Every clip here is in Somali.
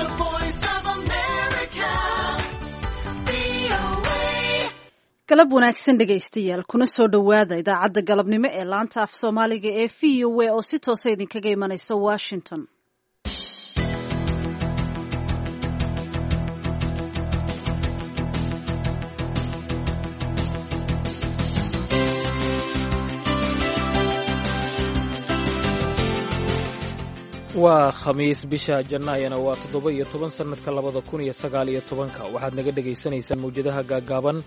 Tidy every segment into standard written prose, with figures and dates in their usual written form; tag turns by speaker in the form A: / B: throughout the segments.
A: The Voice of America, VOA.
B: Galab wanaagsan dhegaystayaal, kuna soo dhowaada idaacadda galabnimo ee laanta af Soomaaliga ee VOA oo si toosa idinkaga imanaysa Washington.
C: Waa Khamiis, bisha Jannaayana waa 17 sannadka 2019-ka. Waxaad naga dhegaysanaysaan mawjadaha gaaggaaban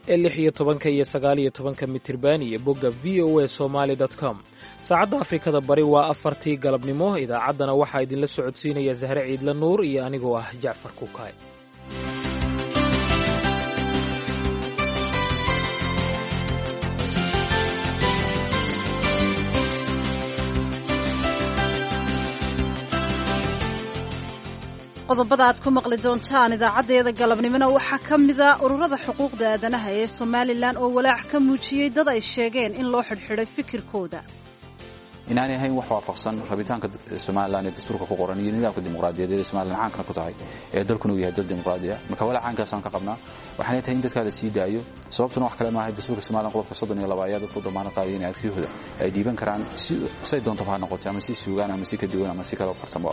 C: ee 16-ka iyo 19-ka mitirban iyo bogga VOA Somaly com. Saacadda Afrikada Bari waa 4-tii galabnimo. Idaacaddana waxaa idinla socodsiinaya Sahre Ciidla Nuur iyo anigoo ah Jacfar Kukaay.
B: Qodobada aad ku maqli doontaan idaacaddeeda galabnimona waxaa ka mida ururada xuquuqda aadanaha ee Somalilan oo walaac ka muujiyey dad ay sheegeen in loo xidhxidhay fikirkooda.
D: Inaanay ahayn wax waafaqsan rabitaanka Somalilan ee dastuurka ku qoran iyo nidaamka dimuqraadiyadeed ee Somalilan caankana ku tahay, ee dalkuna uu yahay dal dimuqraadi ah. Marka walaac caankaasaan ka qabnaa waxaanay tahay in dadkaa la sii daayo. Sababtuna wax kale maaha, dastuurka Somalilan qodobka 32 ayaa dadku damaanad qaadaya in aragtiyahooda ay dhiiban karaan, si say doontaba ha noqotay, ama si suugaan ama si ka duwan ama si kale u qarsanba.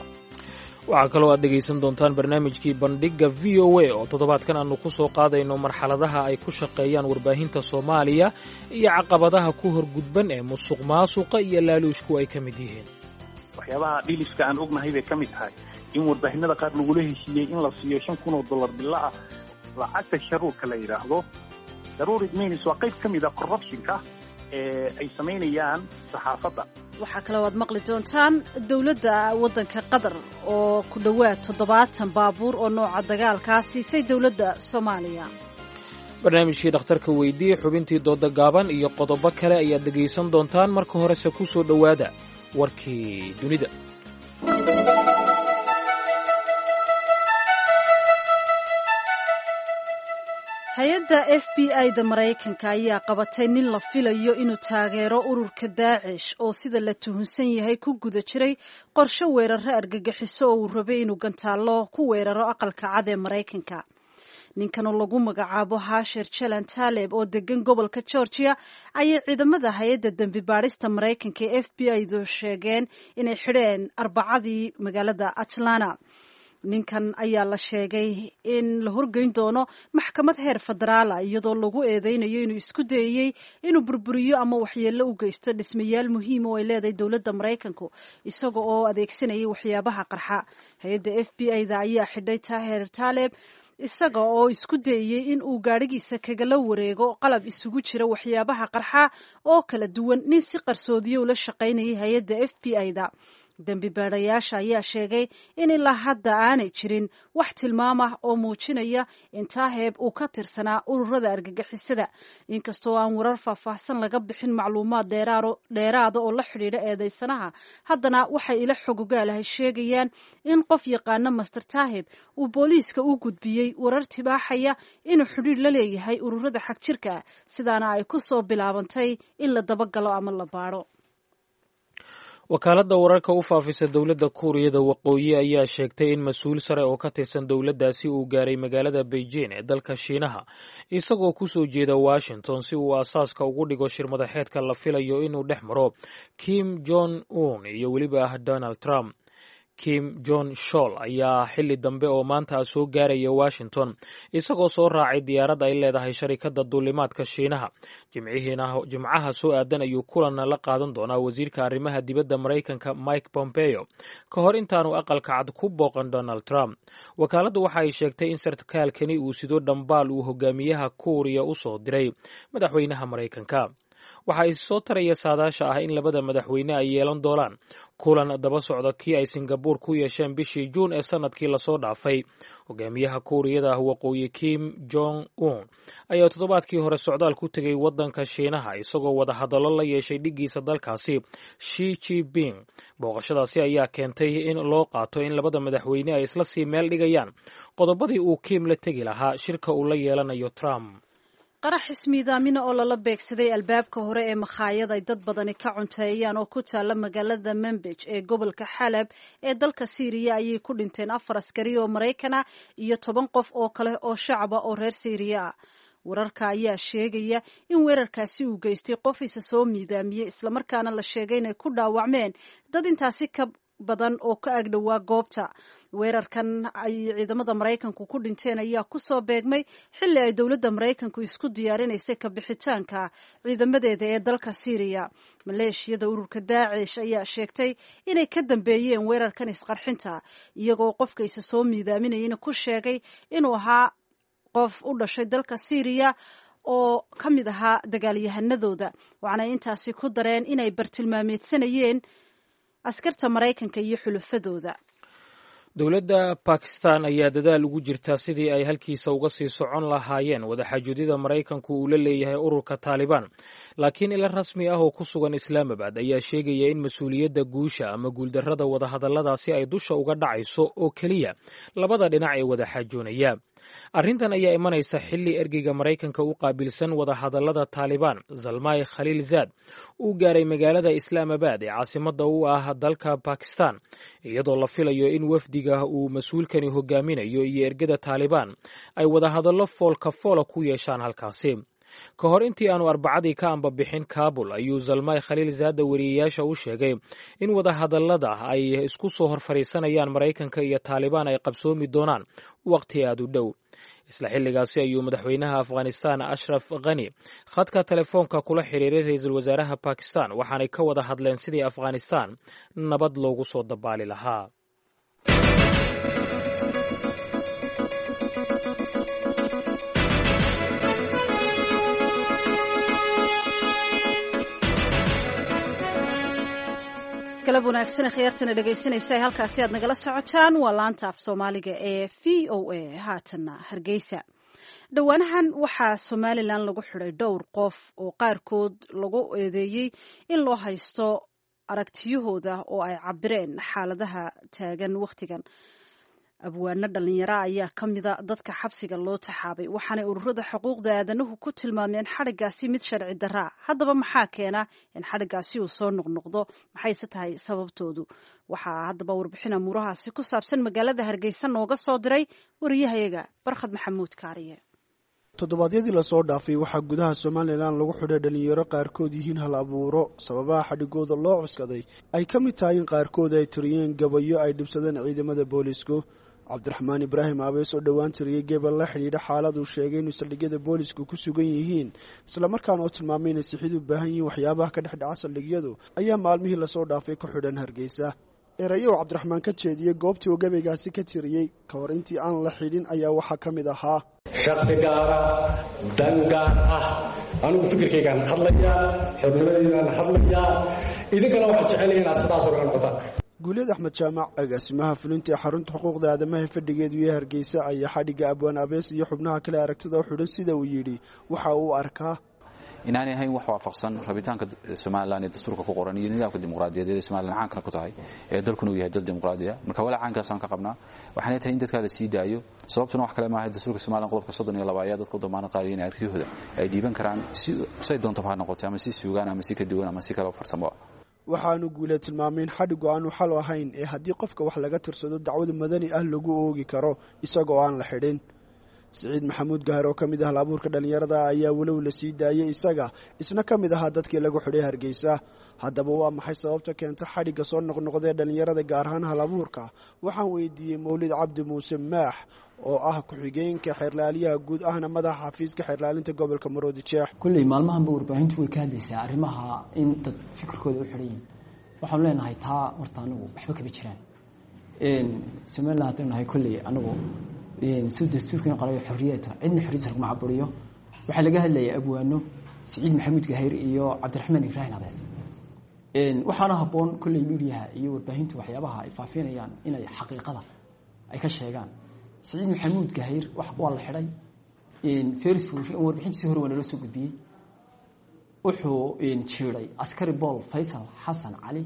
C: Waxaa kaloo aad dhegaysan doontaan barnaamijkii Bandhigga VOA oo toddobaadkan aannu ku soo qaadayno marxaladaha ay ku shaqeeyaan warbaahinta Soomaaliya iyo caqabadaha ku horgudban ee musuq maasuqa iyo laaluushku ay ka mid yihiin.
E: Waxyaabaha dhiliska aan ognahay bay ka mid tahay in warbaahinada qaar lagula heshiiyey in la siiyo $5,000 bilo ah, lacagta sharuurka la yidhaahdo. Sharuurid means waa qayb ka mid a corruptionka ee ay samaynayaan saxaafadda.
B: Waxaa kaloo aad maqli doontaan dowladda waddanka Qatar oo ku dhowaad 70 baabuur oo nooca dagaalkaa siisay dowladda Soomaaliya.
C: Barnaamijkii Dhakhtarka Weydii, xubintii dooda gaaban iyo qodobo kale ayaad dhegaysan doontaan. Marka horese ku soo dhowaada warkii dunida.
B: Hay-adda FBI da Maraykanka ayaa qabatay nin la filayo inuu taageero ururka Daacish oo sida la tuhunsan yahay ku guda jiray qorshe weeraro argagixiso oo uu rabay inuu gantaallo ku weeraro Aqalka Cad ee Maraykanka. Ninkan oo lagu magacaabo Hasher Jalan Taaleb oo degan gobolka Georgia ayay ciidamada hay-adda dembi baadhista Maraykanka ee FBI du sheegeen inay xidheen Arbacadii magaalada Atlanta. Ninkan ayaa la sheegay in la horgeyn doono maxkamad heer federaala, iyadoo lagu eedeynayo inuu isku dayeyey inuu burburiyo ama waxyeello u geysto dhismayaal muhiim oo ay leedahay dowladda Maraykanku, isaga oo adeegsanayay waxyaabaha qarxa. Hay-adda FBI da ayaa xidhay Taher Taaleb isaga oo isku dayeyey in uu gaadhigiisa kagala wareego qalab isugu jira waxyaabaha qarxa oo kala duwan nin si qarsoodiyo ula shaqaynayay hay-adda FBI da. Dembi baadhayaasha ayaa sheegay in ilaa hadda aanay jirin wax tilmaam ah oo muujinaya in Taaheeb uu ka tirsanaa ururada argagixisada, inkastoo aan warar faahfaahsan laga bixin macluumaad dheeraada oo la xidhiidha eedeysanaha. Haddana waxay ila xogogaalahay sheegayaan in qof yaqaana Master Taaheb uu booliiska u gudbiyey warar tibaaxaya inuu xidhiidh la leeyahay ururada xagjirka ah, sidaana ay ku soo bilaabantay in la dabagalo ama la baadho.
C: Wakaaladda wararka u faafisa dowladda Kuuriyada Waqooyi ayaa sheegtay in mas-uul sare oo ka tirsan dowladdaasi uu gaaray magaalada Beijing ee dalka Shiinaha, isagoo ku soo jeeda Washington, si uu aasaaska ugu dhigo shirmadaxeedka la filayo inuu dhex maro Kim Jong Un iyo weliba ah Donald Trump. Kim Jon Shol ayaa xilli dambe oo maanta ah soo gaaraya Washington, isagoo soo raacay diyaarad ay leedahay sharikadda duulimaadka Shiinaha. Jimcihiina Jimcaha soo aadan ayuu kulan la qaadan doonaa wasiirka arrimaha dibadda Maraykanka Mike Pompeo ka hor intaanu Aqalka Cad ku booqan Donald Trump. Wakaaladdu waxa ay sheegtay in sarkaalkani uu sido dhambaal uu hogaamiyaha Kuuriya u soo diray madaxweynaha Maraykanka. Waxa is soo taraya saadaasha ah in labada madaxweyne ay yeelan doonaan kulan daba socda kii ay Singabuur ku yeesheen bishii Juun ee sanadkii lasoo dhaafay. Hogaamiyaha Kuuriyada Waqooyi Kim Jong Un ayaa toddobaadkii hore socdaal ku tegey waddanka Shiinaha, isagoo wadahadallo la yeeshay dhiggiisa dalkaasi Shi Jiping. Booqashadaasi ayaa keentay in loo qaato in labada madaxweyne ay isla sii meel dhigayaan qodobadii uu Kim la tegi lahaa shirka uu la yeelanayo Trump.
B: Qarax ismiidaamina oo lala beegsaday albaabka hore ee makhaayad ay dad badani ka cunteeyaan oo ku taala magaalada Manbij ee gobolka Xalab ee dalka Siiriya ayay ku dhinteen 4 askari oo Maraykana iyo 10 qof oo kale oo shacaba oo reer Siiriya ah. Wararka ayaa sheegaya in weerarkaasi uu geystay qof isa soo miidaamiyey, islamarkaana la sheegay inay ku dhaawacmeen dad intaasi ka badan oo ka agdhowaa goobta. Weerarkan ay ciidamada Maraykanku ku dhinteen ayaa kusoo beegmay xilli ay dowladda Maraykanku isku diyaarinaysay kabixitaanka ciidamadeeda ee dalka Siiriya. Maleeshiyada ururka Daacish ayaa sheegtay inay ka dambeeyeen weerarkan isqarxinta, iyagoo qofka isa soo miidaaminayana ku sheegay inuu ahaa qof u dhashay dalka Siiriya oo ka mid ahaa dagaalyahanadooda. Waxaanay intaasi ku dareen inay bartilmaameedsanayeen askarta Maraykanka iyo xulufadooda.
C: Dowladda Bakistan ayaa dadaal ugu jirta sidii ay halkiisa uga sii socon lahaayeen wadaxaajoodida Maraykanku uu la leeyahay ururka Taalibaan, laakiin ila rasmi ah oo ku sugan Islaamabad ayaa sheegaya in mas-uuliyadda guusha ama guuldarrada wadahadalladaasi ay dusha uga dhacayso oo keliya labada dhinac ee wadaxaajoonaya. Arrintan ayaa imanaysa xilli ergeyga Maraykanka u qaabilsan wadahadallada Taalibaan, Zalmay Khaliil Zaad, uu gaaray magaalada Islaamabad ee caasimadda u ah dalka Bakistan, iyadoo la filayo in wafdiga uu mas-uulkani hogaaminayo iyo ergada Taalibaan ay wadahadallo foolka foola ku yeeshaan halkaasi. Ka hor intii aanu Arbacadii ka ambabixin Kabul ayuu Zalmay Khaliil Zaada weriyeyaasha u sheegay in wadahadallada ay isku soo hor fadhiisanayaan Maraykanka iyo Taalibaan ay qabsoomi doonaan waqti aad u dhow. Isla xilligaasi ayuu madaxweynaha Afghanistan Ashraf Khani khadka telefoonka kula xiriiray ra-iisul wasaaraha Bakistan, waxaanay ka wada hadleen sidii Afghanistan nabad loogu soo dabaali lahaa.
B: Galab wanaagsan khiyaartana dhegaysanaysa, halkaasi aad nagala socotaan waa laanta af Soomaaliga ee VOA. Haatanna Hargeysa. Dhowaanahan waxaa Somalilan lagu xidhay dhowr qof oo qaarkood lagu eedeeyey in loo haysto aragtiyahooda oo ay cabireen xaaladaha taagan wakhtigan. Abwaano dhalinyaro ayaa ka mida dadka xabsiga loo taxaabay, waxaanay ururada xuquuqda aadanuhu ku tilmaameen xadhiggaasi mid sharci daraa. Haddaba maxaa keena in xadhiggaasi uu soo noqnoqdo? Maxayse tahay sababtoodu? Waxaa haddaba warbixin amuurahaasi ku saabsan magaalada Hargeysa nooga soo diray wariyahayaga Barkhad Maxamuud Kaariye.
F: Toddobaadyadii lasoo dhaafay waxaa gudaha Somalilan lagu xidhay dhalinyaro qaarkood yihiin hal abuuro. Sababaha xadhigooda loo cuskaday ay ka mid tahay in qaarkood ay tiriyeen gabayo ay dhibsadeen ciidamada boolisku. Cabdiraxmaan Ibraahim Abees oo dhowaan tiriyey gebel la xidhiidha xaalad uu sheegay inuu saldhigyada boolisku ku sugan yihiin, islamarkaana oo tilmaamay inay sixid u baahan yihiin waxyaabaha ka dhex dhaca saldhigyadu, ayaa maalmihii lasoo dhaafay ku xidhan Hargeysa. Erayo uu Cabdiraxmaan ka jeediyey goobtii uu gabaygaasi ka tiriyey ka hor intii aan la xidhin ayaa waxaa ka mid ahaa:
G: Shaksi gaara, dan gaar ah, anigu fikirkaygaan hadlayaa, xornimadeydaan hadlayaa, idinkana waxaan jecel inaad sidaasoo kale noqotaan.
F: Guulyad Axmed Jaamac, agaasimaha fulinta ee xarunta xuquuqda aadamaha fadhigeedu iyo Hargeysa, ayaa xadhigga abwaan Abees iyo xubnaha kale aragtida u xidhan sida uu yidhi waxa uu arkaa
D: inaanay ahayn wax waafaqsan rabitaanka Somalilan ee dastuurka ku qoran iyo nidaamka dimuqraadiyadeed ee Somalilan caankana ku tahay, ee dalkuna uu yahay dal dimuqraadi ah. Marka walaa caankaasaan ka qabnaa, waxaanay tahay in dadkaa la sii daayo. Sababtuna wax kale maaha, dastuurka Somalilan qodobka 32 ayaa dadka u damaanad qaadaya in aragtiyahooda ay dhiiban karaan, si say doontaba ha noqotay, ama si suugaan ama si ka duwan ama si kale farsamo.
F: Waxaanu Guule tilmaamay in xadhiggu aanu xal ahayn, ee haddii qofka wax laga tirsado dacwad madani ah lagu oogi karo isagoo aan la xidhin. Siciid Maxamuud Gahar oo ka mid ah hal-abuurka dhallinyarada ayaa walow la sii daayey isaga isna ka mid ahaa dadkii lagu xidhay Hargeysa. Haddaba waa maxay sababta keenta xadhigga soo noqnoqdee dhallinyarada, gaar ahaan hal-abuurka? Waxaan weydiiyey Mawlid Cabdi Muuse Maax oo ah ku-xigeenka xeerlaaliyaha guud ahna madaxa xafiiska xeerlaalinta gobolka Maroodi Jeex.
H: Kulley maalmahanba warbaahintu way ka hadlaysaa arrimaha in dad fikirkooda u xidhan yihin. Waxaanu leenahay taa horta anigu waxba kama jiraan. Somalilan haddaynu nahay, kolley anigu si dastuurkiina qorayo xorriyadta cidna xorriyadda laguma caburiyo. Waxaa laga hadlayay abwaano Siciid Maxamuud Gahayr iyo Cabdiraxmaan Ibraahim Abees. Waxaana habboon kolley miidiyaha iyo warbaahintu waxyaabaha ay faafinayaan inay xaqiiqada ay ka sheegaan. Siciid Maxamuud Gahayr waa la xidhay feris, warbixintiisi hore waa naloo soo gudbiyey. Wuxuu jiiday askari Bool Faysal Xasan Cali,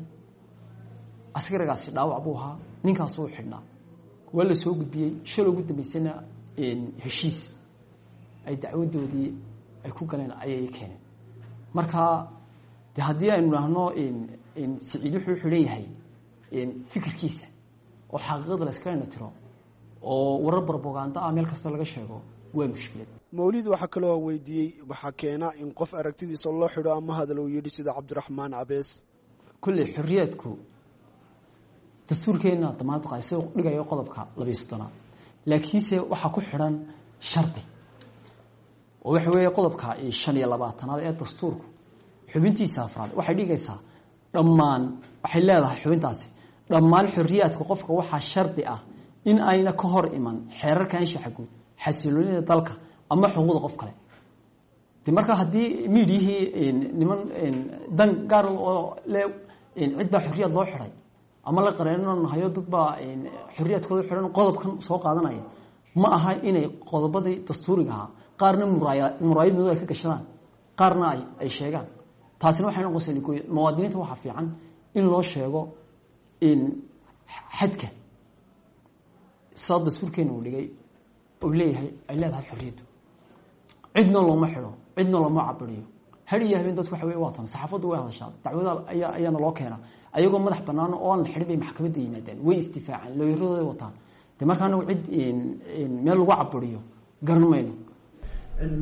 H: askarigaasi dhaawac buu ahaa, ninkaasuu xidhnaa, waa la soo gudbiyey. Shalay ugu dambeysana heshiis ay dacwadoodii ay ku galeen ayay keeneen. Marka de haddii aynu idhaahno Siciid wuxuu xidhan yahay fikirkiisa oo xaqiiqada la iskala tiro oo warar barbogaanda ah meel kasta laga sheego, waa mushkilad.
F: Mawlid waxaa kaloo weydiiyey waxaa keena in qof aragtidiisa loo xidho ama hadal uu yidhi sida Cabdiraxmaan Abees.
H: Kulley xorriyaadku dastuurkeenna damaanad qaay sida dhigayo qodobka 32aad, laakiinse waxaa ku xidhan shardi, oo waxa weeye qodobka 25aad ee dastuurku xubintiisa afraad waxay dhigaysaa dhammaan, waxay leedahay xubintaasi, dhammaan xorriyaadka qofka waxaa shardi ah in ayna ka hor iman xeerarka anshaxa guud, xasiloonida dalka ama xuquuqda qof kale. De marka haddii miidiyihii niman dan gaar oo le cid baa xorriyaad loo xiday ama la qareenanahayo, dad baa xorriyaadkooda xidhan, qodobkan soo qaadanaya, ma aha inay qodobadii dastuuriga ahaa qaarna muraayadooda ay ka gashadaan, qaarna ay sheegaan. Taasina waxay noqonaysaa muwaadiniinta waxaa fiican in loo sheego in xadka sidaa dastuurkeena uu dhigay uu leeyahay ay leedahay xorriyaddu. Cidna looma xidho, cidna looma cabiriyo. Har iyo habeen dadku waxa wey waa tan saxaafaddu way hadashaa, dacwada ayaana loo keenaa ayagoo madax bannaan oo aan la xidhin bay maxkamadda yimaadaan, way isdifaacaan, looyaradooday wataan. De marka anagu cid meel lagu cabiriyo garan mayno.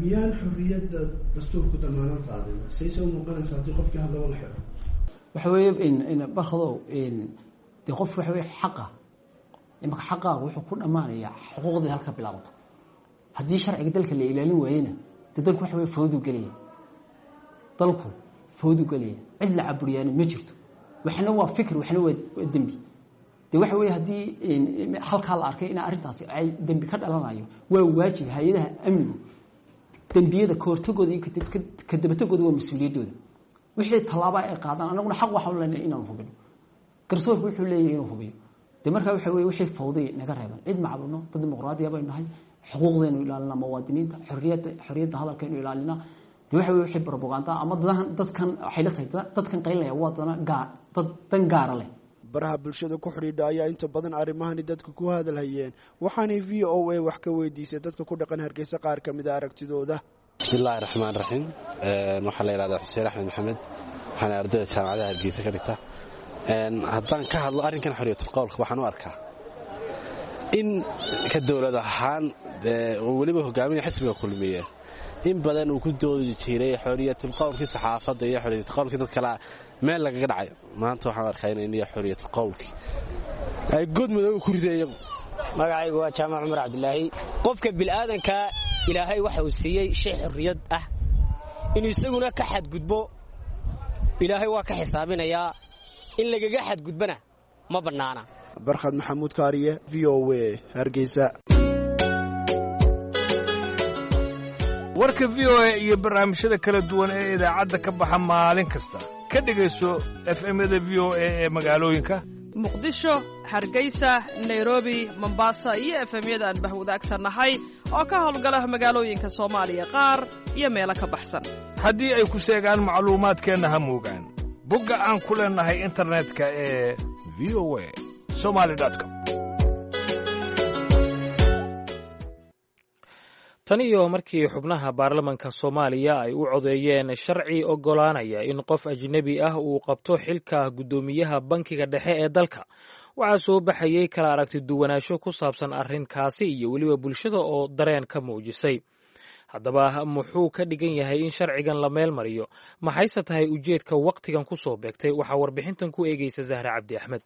F: Miyaan xorriyadda dastuurku damaanad qaadin? Sayse u muuqanaysa haddii qofkii hadlaba la xidho?
H: Waxa weeye barkadow, dee qof waxa weye xaqa imaka xaqaaga wuxuu ku dhammaanayaa xuquuqdii halka bilaabato. Haddii sharciga dalka la ilaalin waayena, dee dalku waxa wey fawdu gelaya, dalku fawdu gelaya, cid la caburiyaana ma jirto. Waxna waa fikr, waxna waa dembi. De waxa weye haddii halkaa la arkay in arrintaasi ay dembi ka dhalanayo, waa waajib hay-adaha amnigu dembiyada kahortagooda iyo kadabatagooda, waa mas-uuliyaddooda. Wixii tallaaba ay qaadaan, anaguna xaq waxaanu leenahay inaanu hubino, garsoorku wuxuu leeyahay inuu hubiyo. De markaa waxa weye wixii fawday naga reeban, cid ma caburno, dad dimuqraadiya baynu nahay, xuquuqdaynu ilaalinaa muwaadiniinta, xorriyadda hadalkaynu ilaalinaa. De waxa weye wixii propaganda ama dadkan waxay la tahay dadkan qaylinaya waa dana gaar, dad dan gaara leh.
F: Baraha bulshada ku xidhiidha ayaa inta badan arrimahani dadka ku hadalhayeen, waxaanay VOA wax ka weydiisay dadka ku dhaqan Hargeysa qaar ka mida aragtidooda.
I: Bismillahi raxmaan raxiim. Waxaa la yidhahdaa Xuseen Axmed Maxamed, waxaana ardayda jaamacadaha Hargeysa ka dhigta. Haddaan ka hadlo arrinkan xorriyatulqowlka, waxaan u arkaa in ka dowlad ahaan weliba hogaaminaya xisbiga Kulmiye in badan uu ku doodi jiray xorriyatulqowlkii saxaafadda iyo xorriyatulqowlkii dad kalea meel lagaga dhacay. Maanta waxaan arkaa in iyo xorriyatulqowlkii ay god madow ku riday iyagu.
J: Magacaygu waa Jaamac Cumar Cabdilaahi. Qofka bil'aadankaa Ilaahay waxa uu siiyey shay xorriyad ah, inuu isaguna ka xadgudbo Ilaahay waa ka xisaabinayaa, in lagaga xadgudbana ma bannaana.
F: Barkhad Maxamuud Kaariye, VOA, Hargeysa.
K: Warka VOA iyo barnaamijyada kala duwan ee idaacadda ka baxa maalin kasta, ka dhegayso FM-yada VOA ee magaalooyinka
L: Muqdisho, Hargeysa, Nairobi, Mombasa iyo FM-yada aan bahwadaagta nahay oo ka howlgala magaalooyinka Soomaaliya qaar iyo meelo ka baxsan.
K: Haddii ay ku seegaan macluumaadkeenna, ha moogaan bogga aan ku leennahay internetka ee VOA Somali com.
C: Tan iyo markii xubnaha baarlamanka Soomaaliya ay u codeeyeen sharci oggolaanaya in qof ajnebi ah uu qabto xilka guddoomiyaha bankiga dhexe ee dalka, waxaa soo baxayey kala aragti duwanaansho ku saabsan arrinkaasi iyo weliba bulshada oo dareen ka muujisay. Haddaba muxuu ka dhigan yahay in sharcigan la meel mariyo? Maxayse tahay ujeedka wakhtigan ku soo beegtay? Waxaa warbixintan ku eegaysa Zahra Cabdi Axmed.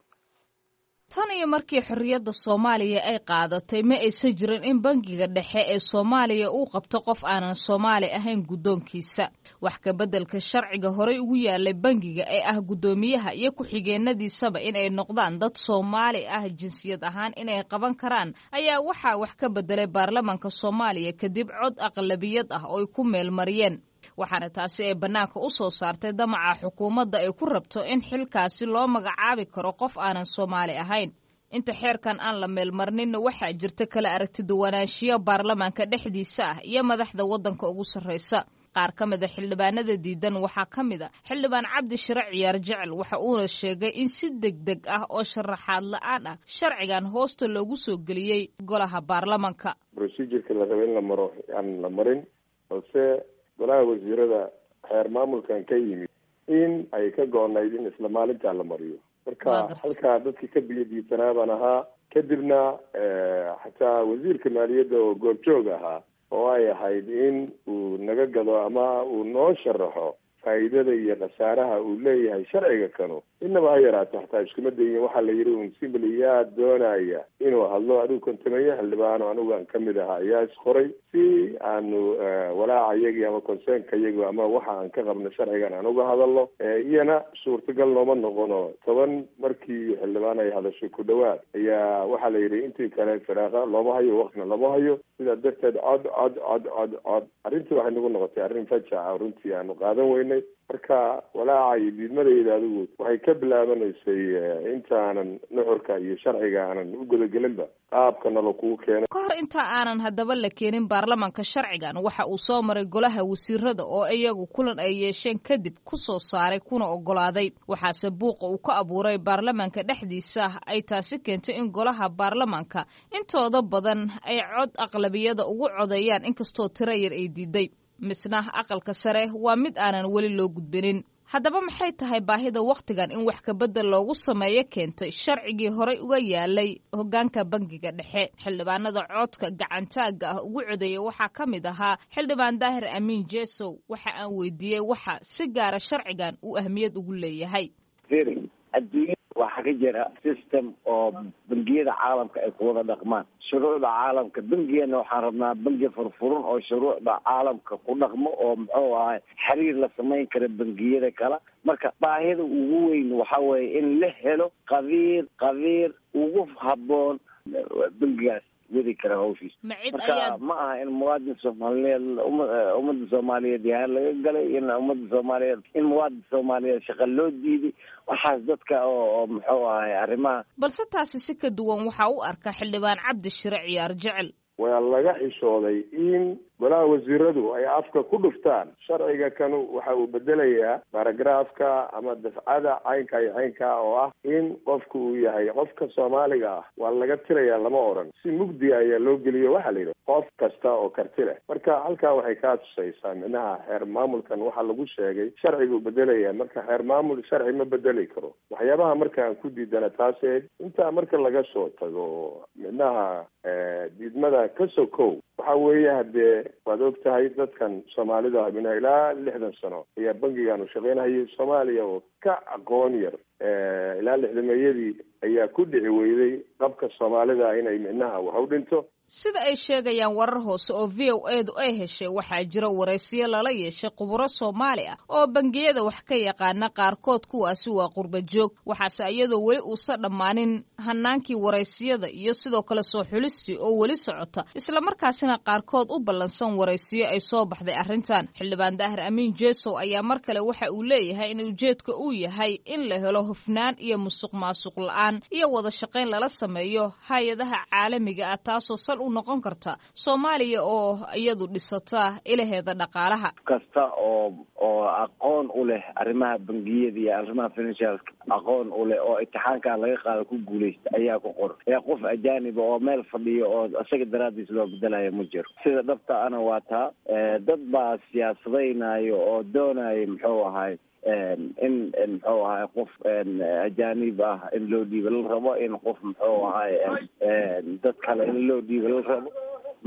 M: Tan iyo markii xorriyadda Soomaaliya ay qaadatay, ma aysan jirin in bangiga dhexe ee Soomaaliya uu qabto qof aanan Soomaali ahayn guddoonkiisa. Wax ka beddelka sharciga horey ugu yaalay bangiga ee ah guddoomiyaha iyo ku-xigeenadiisaba inay noqdaan dad Soomaali ah jinsiyad ahaan inay qaban karaan ayaa waxaa wax ka beddelay baarlamanka Soomaaliya kadib cod aqlabiyad ah oo ay ku meelmariyeen, waxaana taasi ay bannaanka u soo saartay damaca xukuumadda ay ku rabto in xilkaasi loo magacaabi karo qof aanan Soomaali ahayn. Inta xeerkan aan la meelmarninna, waxaa jirta kala aragti duwanaanshiyo baarlamaanka dhexdiisa ah iyo madaxda waddanka ugu sarraysa. Qaar ka mida xildhibaanada diidan waxaa ka mid a xildhibaan Cabdi Shire Ciyaar Jecel, waxa uuna sheegay in si deg deg ah oo sharaxaad la-aan ah sharcigan hoosta loogu soo geliyey golaha baarlamanka.
N: Procedure-ka la raba in la maro aan la marin, balse golaha wasiirada xeer maamulkan ka yimid in ay ka go-nayd in isla maalintaa la mariyo. Marka halkaa dadkii ka biyadiisanaa baan ahaa. Kadibna xataa wasiirka maaliyadda oo goobjoog ahaa oo ay ahayd in uu naga gado ama uu noo sharaxo faa'iidada iyo khasaaraha uu leeyahay sharciga kanu, inaba ha yaraato xataa iskuma dayin. Waxaa la yidhi un simbly yaa doonaya inuu hadlo, adigu kontameeye xildhibaano anigu aan kamid ahaa ayaa isqoray si aanu walaaca iyagii ama concernka iyagu ama waxa aan ka qabno sharcigan aan uga hadalno. Iyana suurtagal nooma noqono. 10 markii xildhibaan ay hadashay ku dhawaad ayaa waxaa la yidhi intii kale firaaqa looma hayo, waktina looma hayo. Sidaa darteed cod cod cod cod cod arrintii waxay nagu noqotay arrin fajaca, runtii aanu qaadan weynay. Marka walaaca iyo diidmadayda adigu waxay ka bilaabanaysay intaanan nuxurka iyo sharciga aanan u gudagelinba qaabkana lakugu keenay.
M: Ka hor inta aanan haddaba la keenin baarlamaanka sharcigan, waxa uu soo maray golaha wasiirada oo iyagu kulan ay yeesheen kadib ku soo saaray kuna ogolaaday. Waxaase buuqa uu ka abuuray baarlamaanka dhexdiisa ay taasi keentay in golaha baarlamaanka intooda badan ay cod aqlabiyada ugu codeeyaan, inkastoo tiro yar ay diiday. Misna aqalka sare waa mid aanan weli loo gudbinin. Haddaba maxay tahay baahida wakhtigan in wax kabedel loogu sameeyo keentay sharcigii horey uga yaalay hoggaanka bangiga dhexe? Xildhibaanada codka gacantaagga ah ugu codeeyay waxaa ka mid ahaa xildhibaan Daahir Amiin Jesow. Waxa aan weydiiyey waxa si gaara sharcigan uu ahmiyad ugu leeyahay.
O: Adduunyada waxaa ka jira system oo bangiyada caalamka ay ku wada dhaqmaan, shuruucda caalamka. Bangigana waxaan rabnaa bangi furfuran oo shuruucda caalamka ku dhaqmo oo muxuu ahay xiriir la samayn kara bangiyada kale. Marka baahida ugu weyn waxa weeye in la helo qabiir ugu habboon bangigaas wadi kara hawshiisa. Marka ma aha in muwaadin Soomaaliyeed, ummadda Soomaaliyeed yahaan laga galay, in ummadda Soomaaliyeed, in muwaadin Soomaaliyeed shaqa loo diiday, waxaas dadka oo muxuu ahay arrimaha.
M: Balse taasi si ka duwan waxaa u arka xildhibaan Cabdi Shire Ciyaar Jecel.
N: Waa laga xishooday in golaha wasiiradu ay afka ku dhuftaan sharciga kanu waxa uu bedelayaa baragraafka ama dafcada caynka iyo caynka oo ah in qofku uu yahay qofka Soomaaliga ah waa laga tirayaa, lama oran. Si mugdiga ayaa loo geliyo, waxaa la yidhi qof kasta oo karti leh. Marka halkaa waxay kaa tusaysaa micnaha xeer maamulkan waxaa lagu sheegay sharciguu bedelaya. Marka xeer maamul sharci ma bedeli karo. Waxyaabaha marka aan ku diidana taasee intaa marka laga soo tago micnaha diidmada ka sokow, waxa weeye haddee waad og tahay dadkan Soomaalida mina ilaa 60 sano ayaa bangigan u shaqeynahayay. Soomaaliya oo ka aqoon yar ilaa lixdameeyadii ayaa ku dhici weyday qabka Soomaalida inay micnaha wax u dhinto.
M: Sida ay sheegayaan warar hoose oo VOA-du ay heshay, waxaa jira waraysiyo lala yeeshay khuburo Soomaali ah oo bangiyada wax ka yaqaana qaarkood, kuwaasi waa qurba joog. Waxaase iyadoo weli uusan dhammaanin hanaankii waraysiyada iyo sidoo kale soo xulistii oo weli socota, islamarkaasina qaarkood u ballansan waraysiyo ay soo baxday arrintan. Xildhibaan Daahir Amiin Jesow ayaa mar kale waxa uu leeyahay in ujeedka uu yahay in la helo hufnaan iyo musuq maasuq la-aan iyo wada shaqayn lala sameeyo hay-adaha caalamiga ah, taasoo u noqon karta Soomaaliya oo iyadu dhisata ilaheeda dhaqaalaha.
O: Kasta oo aqoon u leh arrimaha bangiyada iyo arrimaha financialka aqoon u leh oo imtixaankaa laga qaado ku guuleysta ayaa ku qoran. Ee qof ajaaniba oo meel fadhiyo oo isaga daraadiis loo bedelayo ma jiro. Sida dhabta ana waa taa dad baa siyaasadaynayo oo doonaya muxuu ahay in muxuu ahay qof ajaanib ah in loo dhiibo la rabo, in qof muxuu ahay dad kale in loo dhiibo la rabo.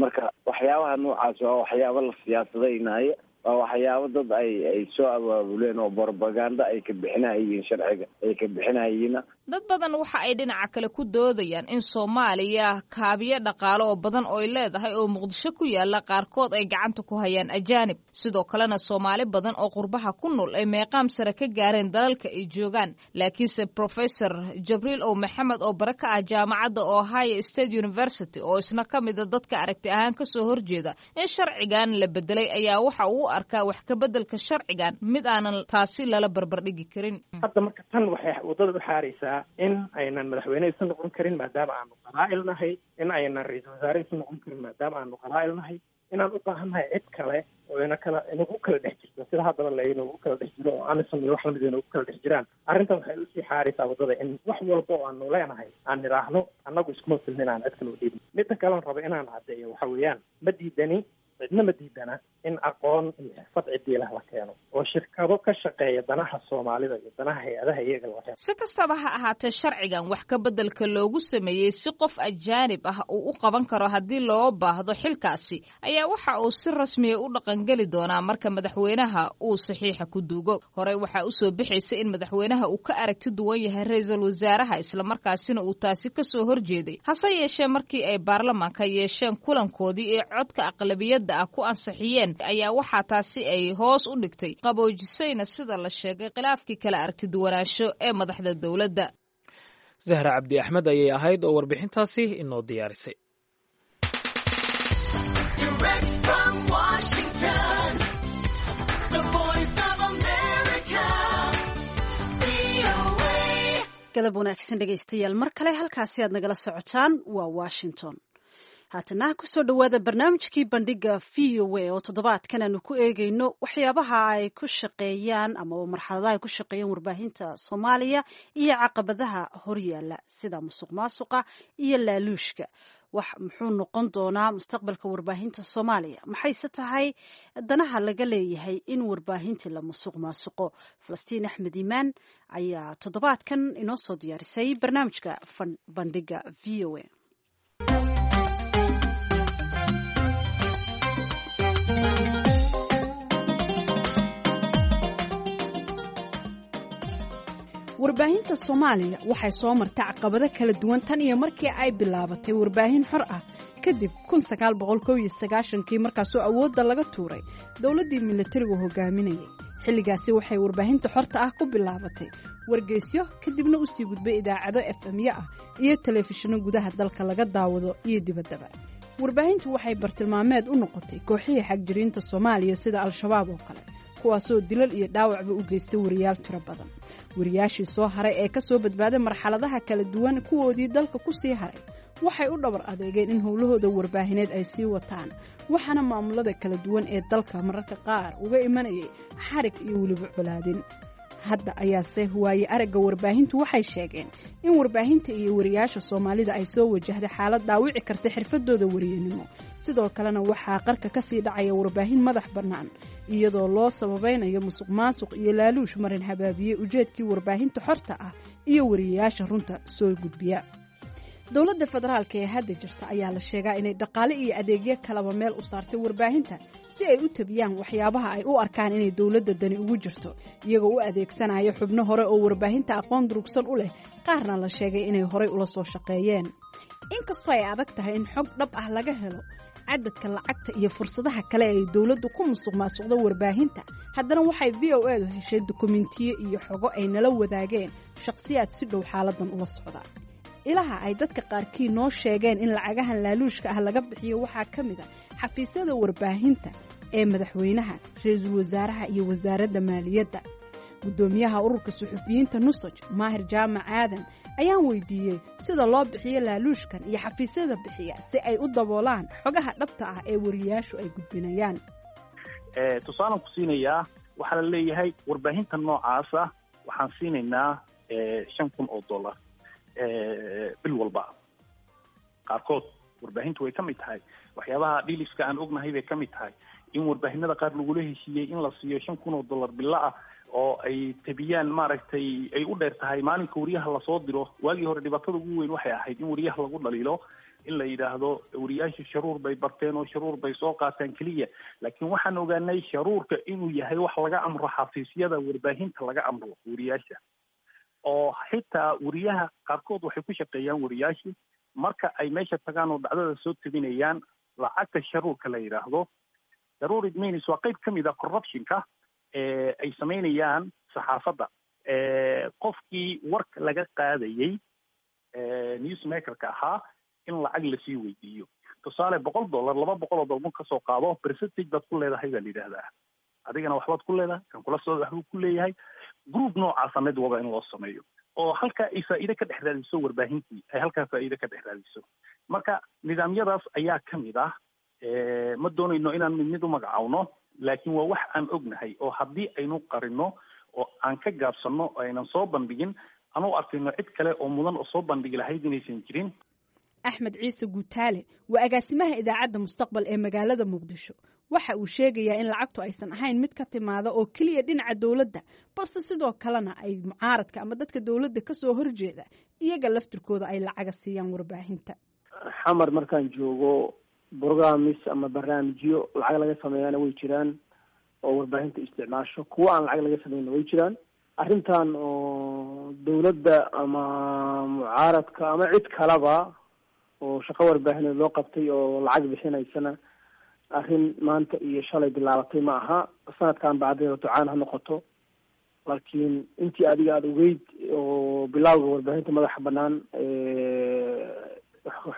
O: Marka waxyaabaha noocaas waa waxyaabo la siyaasadaynayo, waa waxyaabo dad ay soo abaabuleen oo propaganda ay ka bixinayiin, sharciga ay ka bixinayiina.
M: Dad badan waxa ay dhinaca kale ku doodayaan in Soomaaliya kaabiyo dhaqaale oo badan oo ay leedahay oo Muqdisho ku yaala qaarkood ay gacanta ku hayaan ajaanib, sidoo kalena Soomaali badan oo qurbaha ku nool ay meeqaam sare ka gaareen dalalka ay joogaan. Laakiinse Professor Jabriil O Maxamed oo bare ka ah jaamacadda Ohio State University oo isna ka mida dadka aragti ahaan kasoo horjeeda in sharcigan la bedelay ayaa waxa uu u arkaa wax ka bedelka sharcigan mid aanan taasi lala barbardhigi karin.
P: Hadda marka tan waxay waddada u xaaraysaa in aynan madaxweyne isu noqon karin maadaama aanu qabaa'il nahay, in aynan ra-iisul wasaare isu noqon karin maadaama aanu qabaa'il nahay, inaan u baahannahay cid kale oo ina kala inagu kala dhex jirto sida haddaba la inagu kala dhex jiro oo AMISOM iyo wax lamid inagu kala dhex jiraan. Arrintan waxay usii xaaraysaa waddada in wax walba oo aanu leenahay aan nidhaahno annagu iskuma filnin, aan cid kale u dhiibno. Midda kaleon rabo inaan caddeeyo waxa weeyaan ma diidani Cidna ma diidana in aqoon iyo xirfad cidiilah la keeno oo shirkado ka shaqeeya danaha Soomaalida iyo danaha hay-adaha iyaga la keeno.
M: Si kastaba ha ahaatee, sharcigan wax ka beddelka loogu sameeyey si qof ajaanib ah uu u qaban karo haddii loo baahdo xilkaasi ayaa waxa uu si rasmiya u dhaqangeli doonaa marka madaxweynaha uu saxiixa ku duugo. Horey waxaa usoo bixaysa in madaxweynaha uu ka aragti duwan yahay ra-iisul wasaaraha, islamarkaasina uu taasi kasoo horjeeday. Hase yeeshee, markii ay baarlamaanka yeesheen kulankoodii ee codka aqlabiyadda ah ku ansixiyeen ayaa waxaa taasi ay hoos u dhigtay, qaboojisayna sida la sheegay khilaafkii kala aragti duwanaansho ee madaxda dowladda.
C: Zahra Cabdi Axmed ayay ahayd oo warbixintaasi inoo diyaarisay.
A: Direct from Washington, the Voice of America, VOA.
B: Galab wanaagsan dhegaystayaal, mar kale halkaasi aad nagala socotaan waa Washington. Haatana kusoo dhowaada barnaamijkii Bandhiga VOA oo toddobaadkan aanu ku eegeyno waxyaabaha ay ku shaqeeyaan ama marxaladaha ay ku shaqeeyaan warbaahinta Soomaaliya iyo caqabadaha horyaala sida musuq maasuqa iyo laaluushka. Wax muxuu noqon doonaa mustaqbalka warbaahinta Soomaaliya? Maxayse tahay danaha laga leeyahay in warbaahintii la musuq maasuqo? Falastiin Axmed Iimaan ayaa toddobaadkan inoo soo diyaarisay barnaamijka Bandhiga VOA.
Q: Warbaahinta Soomaaliya waxay soo martay caqabado kala duwan tan iyo markii ay bilaabatay warbaahin xor ah kadib kii, markaasoo awoodda laga tuuray dowladdii militarigu hogaaminayay. Xilligaasi waxay warbaahinta xorta ah ku bilaabatay wargeysyo, kadibna u sii gudbay idaacado FM-yo ah iyo telefishinno gudaha dalka laga daawado iyo dibaddaba. Warbaahintu waxay bartilmaameed u noqotay kooxihii xagjiriinta Soomaaliya sida Al-Shabaab oo kale, kuwaasoo dilal iyo dhaawacba u geystay wariyaal tiro badan. Wariyaashii soo haray ee ka soo badbaaday marxaladaha kala duwan, kuwoodii dalka ku sii haray, waxay u dhabar adeegeen in howlahooda warbaahineed ay sii wataan, waxaana maamulada kala duwan ee dalka mararka qaar uga imanayay xarig iyo weliba colaadin. Hadda ayaase waaye aragga warbaahintu waxay sheegeen in warbaahinta iyo wariyaasha Soomaalida ay soo wajahday xaalad dhaawici karta xirfadooda wariyanimo. Sidoo kalena waxaa qarka ka sii dhacaya warbaahin madax bannaan, iyadoo loo sababaynayo musuq maasuq iyo laaluush marin habaabiyey ujeedkii warbaahinta xorta ah iyo wariyayaasha runta soo gudbiya. Dowladda federaalka ee hadda jirta ayaa la sheegaa inay dhaqaale iyo adeegyo kalaba meel u saartay warbaahinta si ay u tabiyaan waxyaabaha ay u arkaan inay dowladda dani ugu jirto, iyagoo u adeegsanaya xubno hore oo warbaahinta aqoon durugsan u leh, qaarna la sheegay inay horey ula soo shaqeeyeen. Inkastoo ay adag tahay in xog dhab ah laga helo cadadka lacagta iyo fursadaha kale ay dowladdu ku musuq maasuqdo warbaahinta, haddana waxay VOA-du heshay dukumentiyo iyo xogo ay nala wadaageen shakhsiyaad si dhow xaaladan ula socda. Ilaha ay dadka qaarkii noo sheegeen in lacagahan laaluushka ah laga bixiyo waxaa ka mid a xafiisyada warbaahinta ee madaxweynaha, ra-iisul wasaaraha iyo wasaaradda maaliyadda. Guddoomiyaha ururka suxufiyiinta NUSOJ, Maahir Jaamac Aadan, ayaan weydiiyey sida loo bixiyo laaluushkan iyo xafiisyada bixiya si ay u daboolaan xogaha dhabta ah ee wariyaashu ay gudbinayaan.
E: Tusaalaan ku siinayaa, waxaa la leeyahay warbaahinta noocaasa waxaan siinaynaa $5,000 bil walba. Qaarkood warbaahintu way ka mid tahay waxyaabaha deals-ka aan ognahay bay ka mid tahay in warbaahinada qaar lagula heshiiyey in la siiyo $5,000 bilo ah oo ay tabiyaan, maaragtay, ay u dheer tahay maalinka wariyaha lasoo diro. Waagii hore dhibaatada ugu weyn waxay ahayd in wariyaha lagu dhaliilo, in la yidhaahdo wariyaasha sharuur bay barteen oo sharuur bay soo qaataan keliya. Laakiin waxaan ogaanay sharuurka inuu yahay wax laga amro xafiisyada warbaahinta, laga amro wariyaasha, oo xitaa wariyaha qaarkood waxay ku shaqeeyaan wariyaashu marka ay meesha tagaan oo dhacdada soo tabinayaan lacagta sharuurka la yidhaahdo. Sharuur, it means waa qayb ka mid a corruptionka ay samaynayaan saxaafadda. Qofkii warka laga qaadayey, newsmakerka ahaa, in lacag lasii weydiiyo, tusaale $100, $200 marka kasoo qaado, percentage baad ku leedahay baa la yidhaahdaa. Adigana waxbaad ku leedahay, kan kula soo waxbuu ku leeyahay. Group noocaasa mid waba in loo sameeyo oo halkaa ay faa'iide ka dhex raadiso warbaahintii, ay halkaa faa'iide ka dhex raadiso. Marka nidaamyadaas ayaa ka mid ah. Ma doonayno inaan mid mid u magacaawno, laakiin waa wax aan ognahay oo haddii aynu qarino oo aan ka gaabsanno oo aynan soo bandhigin, aan u arkayno cid kale oo mudan oo soo bandhigi lahayd inaysan jirin.
Q: Axmed Ciise Guutaale waa agaasimaha idaacadda Mustaqbal ee magaalada Muqdisho. Waxa uu sheegayaa in lacagtu aysan ahayn mid ka timaada oo keliya dhinaca dowladda, balse sidoo kalena ay mucaaradka ama dadka dowladda kasoo horjeeda iyaga laftirkooda ay lacaga siiyaan warbaahinta.
R: Xamar markaan joogo, brogramis ama barnaamijyo lacag laga sameeyana way jiraan oo warbaahinta isticmaasho, kuwo aan lacag laga sameynna way jiraan. Arrintan oo dowladda ama mucaaradka ama cid kalaba oo shaqo warbaahineed loo qabtay oo lacag bixinaysana, arrin maanta iyo shalay bilaabatay ma aha. Sanadkan bacdeeda ducaan ha noqoto, laakiin intii adiga aada ogeyd oo bilowga warbaahinta madaxa banaan,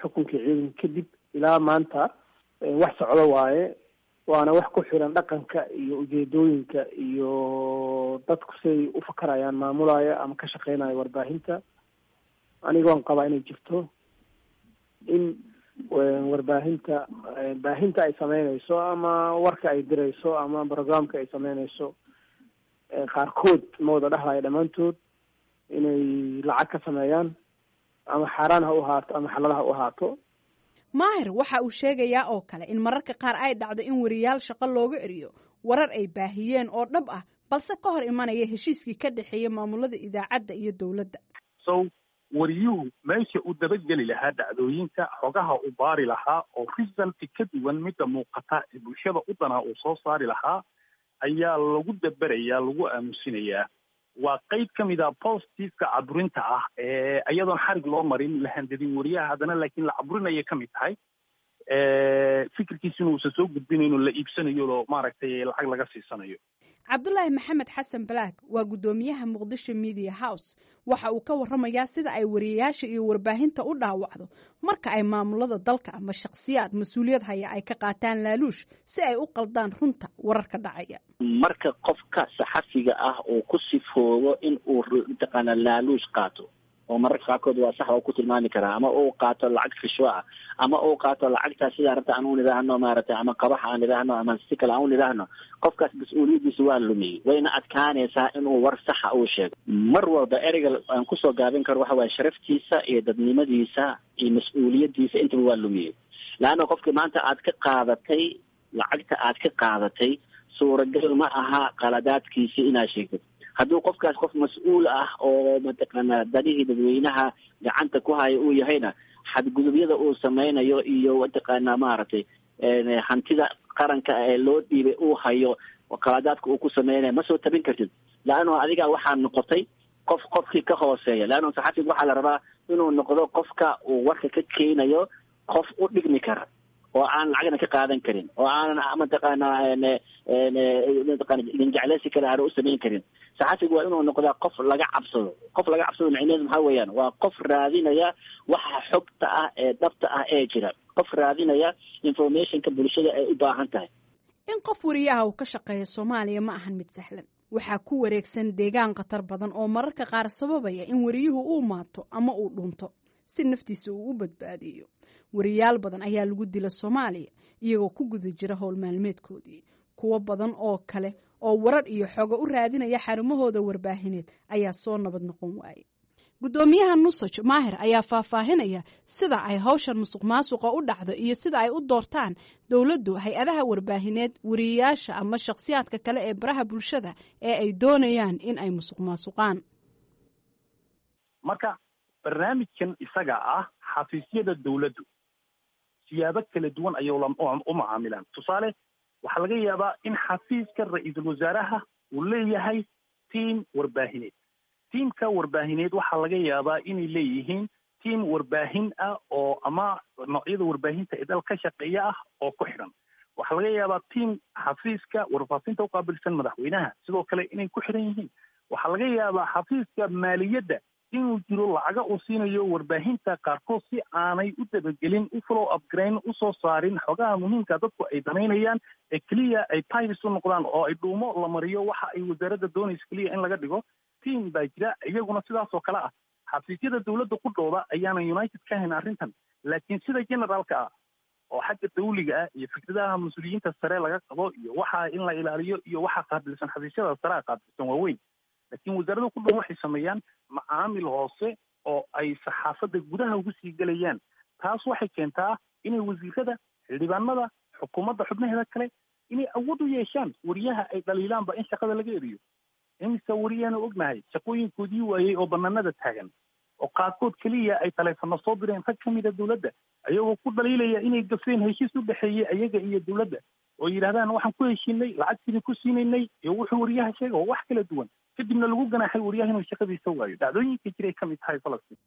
R: xukunkii ciidanka kadib ilaa maanta, wax socdo waaye, waana wax ku xiran dhaqanka iyo ujeedooyinka iyo dadku siay u fakarayaan maamulaya ama ka shaqeynaya warbaahinta. Aniga waan qabaa inay jirto in warbaahinta baahinta ay sameynayso ama warka ay dirayso ama programka ay sameynayso qaarkood, ma wada dhahlayo dhammaantood, inay lacag ka sameeyaan, ama xaaraan ha u ahaato ama xalal ha u ahaato.
Q: Maahir waxa uu sheegayaa oo kale in mararka qaar ay dhacdo in wariyaal shaqo looga eriyo warar ay baahiyeen oo dhab ah, balse ka hor imanaya heshiiskii ka dhexeeya maamulada idaacadda iyo dowladda.
E: So wariyuhu meesha uu dabageli lahaa dhacdooyinka, xogaha uu baari lahaa oo result ka duwan midda muuqata ee bulshada u danaa uu soo saari lahaa ayaa lagu daberayaa, lagu aamusinayaa. Waa qeyb ka mid a positiveka caburinta ah ee iyadoon xarig loo marin, la handadin wariyaha, haddana laakiin la caburinaya ka mid tahay fikirkiisina uusan soo gudbinayno, la iibsanayo oo maaragtay lacag laga siisanayo.
Q: Cabdulaahi Maxamed Xasan Balaag waa guddoomiyaha Muqdisho Media House. Waxa uu ka waramayaa sida ay wariyayaasha iyo warbaahinta u dhaawacdo marka ay maamulada dalka ama shakhsiyaad mas-uuliyad haya ay ka qaataan laaluush si ay u qaldaan runta wararka dhacaya.
S: Marka qofka saxafiga ah uu ku sifoobo in uu mataqaana laaluush qaato, oo mararka qaarkood waa sax oo ku tilmaami karaa, ama uu qaato lacag rishwa ah, ama uu qaato lacagtaa sidaa rabta aan u nidhaahno maaragtay, ama qabax aan nidhaahno, ama si kale aan u nidhaahno, qofkaas mas-uuliyaddiisa waa lumiyey, wayna adkaanaysaa inuu war saxa uu sheego. Mar walba ereyga aan kusoo gaabin karo waxa waaye sharaftiisa iyo dadnimadiisa iyo mas-uuliyaddiisa intaba waa lumiyey, laanna qofkii maanta aad ka qaadatay lacagta aad ka qaadatay, suuragal ma aha qaladaadkiisi inaad sheegtid. Hadduu qofkaas qof mas-uul ah oo mataqaana danihii dadweynaha gacanta ku haya uu yahayna, xadgudubyada uu sameynayo iyo mataqaana maaragtay hantida qaranka ee loo dhiibay uu hayo, qaladaadka uu ku sameynayo ma soo tabin kartid, laanno adiga waxaa noqotay qof qofkii ka hooseeya. Laanno saxafiga waxaa la rabaa inuu noqdo qofka uu warka ka keenayo qof u dhigmi kara oo aan lacagna ka qaadan karin oo aanan mataqaana mataqaana ganjecleysi kale aana u samayn karin. Saxafigu waa inuu noqdaa qof laga cabsado. Qof laga cabsado micnaheedu maxaa weeyaan? Waa qof raadinaya waxa xogta ah ee dhabta ah ee jira, qof raadinaya informationka bulshada ay u baahan tahay.
Q: In qof wariyaha uu ka shaqeeya Soomaaliya ma ahan mid sahlan. Waxaa ku wareegsan deegaan khatar badan oo mararka qaar sababaya in wariyuhu uu maato ama uu dhunto si naftiisa uu u badbaadiyo. Wariyaal badan ayaa lagu dila Soomaaliya iyagoo ku guda jira howl maalmeedkoodii. Kuwo badan oo kale oo warar iyo xogo u raadinaya xarumahooda warbaahineed ayaa soo nabad noqon waayay. Guddoomiyaha Nusaj Maahir ayaa faahfaahinaya sida ay hawshan musuq maasuqa u dhacdo iyo sida ay u doortaan dowladdu hay-adaha warbaahineed, wariyayaasha ama shakhsiyaadka kale ee baraha bulshada ee ay doonayaan in ay musuq maasuqaan.
E: Marka barnaamijkan isaga ah, xafiisyada dowladdu siyaabo kala duwan ayay u macaamilaan. Tusaale, waxaa laga yaabaa in xafiiska ra-iisul wasaaraha uu leeyahay tiam warbaahineed. Tiamka warbaahineed waxaa laga yaabaa inay leeyihiin tiam warbaahin ah oo ama noocyada warbaahinta ee dal ka shaqeeya ah oo ku xidhan. Waxaa laga yaabaa tiam xafiiska warfaafinta uqaabilsan madaxweynaha sidoo kale inay ku xidhan yihiin. Waxaa laga yaabaa xafiiska maaliyadda inuu jiro lacaga uu siinayo warbaahinta qaarkood si aanay u dabagelin, u follow upgrain, usoo saarin xogaha muhiimka dadku ay danaynayaan ee keliya ay pibes u noqdaan oo ay dhuumo la mariyo waxa ay wasaaradda doonaysa keliya in laga dhigo. Team baa jira iyaguna sidaas oo kale ah. Xafiisyada dowladda ku dhooda ayaanan united ka hayn arrintan, laakiin sida generaalka ah oo xagga dawliga ah iyo fikradaha mas-uuliyiinta sare laga qabo iyo waxa in la ilaaliyo iyo waxa qaabilsan xafiisyada sarea qaabilsan waaweyn, laakiin wasaaradda ku dhow waxay sameeyaan macaamil hoose oo ay saxaafadda gudaha ugu sii gelayaan. Taas waxay keentaa inay wasiirada, xildhibaanada, xukuumadda xubnaheeda kale inay awood u yeeshaan wariyaha ay dhaliilaanba in shaqada laga eriyo. Imise wariyaanu ognahay shaqooyinkoodii waayey oo banaanada taagan, oo qaarkood keliya ay taleefano soo direen rag ka mida dowladda, ayagoo ku dhaliilaya inay gafeen heshiis u dhexeeyey ayaga iyo dowladda, oo yidhahdaan waxaan ku heshiinay, lacagtiina ku siinaynay, iyo wuxuu wariyaha sheega oo wax kala duwan, kadibna lagu ganaaxay wariyaha inuu shaqadiisa waayo. Dhacdooyinka jiray ka mid tahay Falastiin.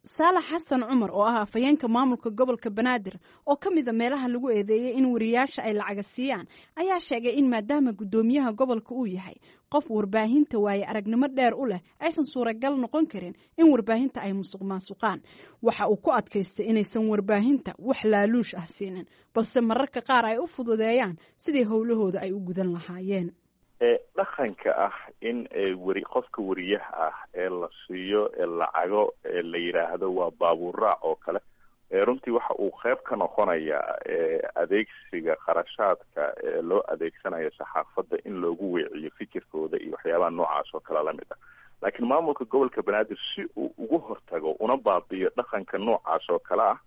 Q: Saalax Xasan Cumar oo ah afhayeenka maamulka gobolka Banaadir oo ka mida meelaha lagu eedeeyey in wariyaasha ay lacaga siiyaan ayaa sheegay in maadaama guddoomiyaha gobolka uu yahay qof warbaahinta waaye aragnimo dheer u leh, aysan suuragal noqon karin in warbaahinta ay musuq maasuqaan. Waxa uu ku adkaystay inaysan warbaahinta wax laaluush ah siinin, balse mararka qaar ay u fududeeyaan sidii howlahooda ay u gudan lahaayeen.
T: Dhaqanka ah in weri qofka wariyaha ah ee la siiyo lacago ee la yidhaahdo waa baabuurraac oo kale, runtii waxa uu qeyb ka noqonayaa adeegsiga kharashaadka ee loo adeegsanayo saxaafadda in loogu weeciyo fikirkooda iyo waxyaabaha noocaas oo kale lamid ah. Laakiin maamulka gobolka Banaadir si uu ugu hortago una baabiyo dhaqanka noocaas oo kale ah,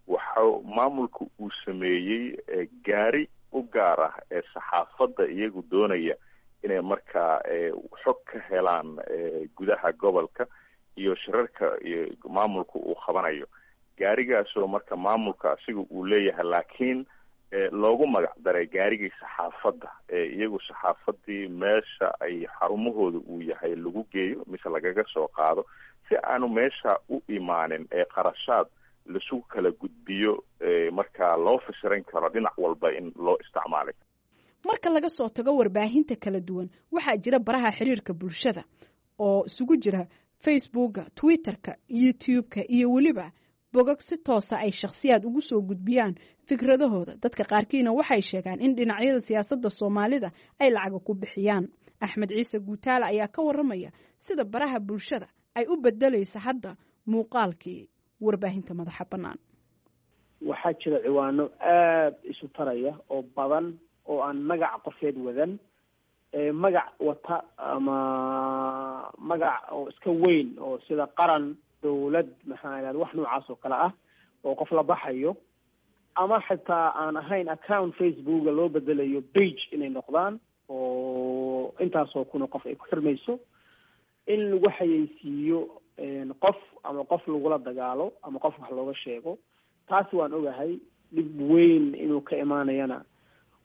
T: waxa maamulka uu sameeyey gaari u gaar ah ee saxaafadda iyagu doonaya inay markaa xog ka helaan gudaha gobolka iyo shirarka iyo maamulka uu qabanayo, gaarigaasoo marka maamulka asiga uu leeyahay, laakiin loogu magac daray gaarigii saxaafadda ee iyagu saxaafaddii meesha ay xarumahooda uu yahay lagu geeyo mise lagaga soo qaado, si aanu meesha u imaanin ee qarashaad lasu kala gudbiyo markaa loo fasiran karo dhinac walba in loo isticmaalay.
Q: Marka laga soo tago warbaahinta kala duwan, waxaa jira baraha xiriirka bulshada oo isugu jira Facebooka, Twitterka, YouTube-ka iyo weliba bogag si toosa ay shakhsiyaad ugu soo gudbiyaan fikradahooda. Dadka qaarkiina waxay sheegaan in dhinacyada siyaasadda Soomaalida ay lacaga ku bixiyaan. Axmed Ciise Guutaale ayaa ka waramaya sida baraha bulshada ay u bedelaysa hadda muuqaalkii warbaahinta madaxa bannaan.
R: Waxaa jira ciwaano aada isu taraya oo badan oo aan magac qofeed wadan, magac wata ama magac oo iska weyn oo sida qaran, dowlad, maxaa idhahda, wax noocaas oo kale ah oo qof la baxayo, ama xitaa aan ahayn account Facebooka loo bedelayo page inay noqdaan oo intaasoo kuna qof ay ku xirmayso, in lagu xayeysiiyo qof ama qof lagula dagaalo ama qof wax looga sheego. Taasi waan ogahay dhib weyn inuu ka imaanayana,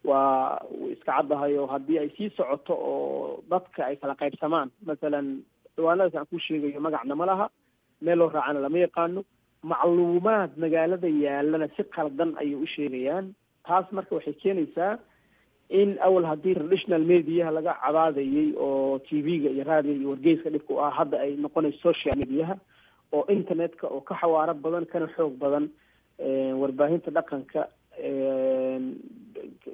R: waa iska caddahay oo haddii ay sii socoto oo dadka ay kala qaybsamaan, masalan ciwaanadaas aan ku sheegayo magacna ma laha, meel loo raacana lama yaqaano, macluumaad magaalada yaalana si qaldan ayay u sheegayaan. Taas marka waxay keenaysaa in awal haddii traditional mediaha laga cabaadayay oo TV-ga iyo raadiga iyo wargeyska dhibka u ah, hadda ay noqonayso social mediaha oo internetka oo ka xawaaro badan kana xoog badan warbaahinta dhaqanka,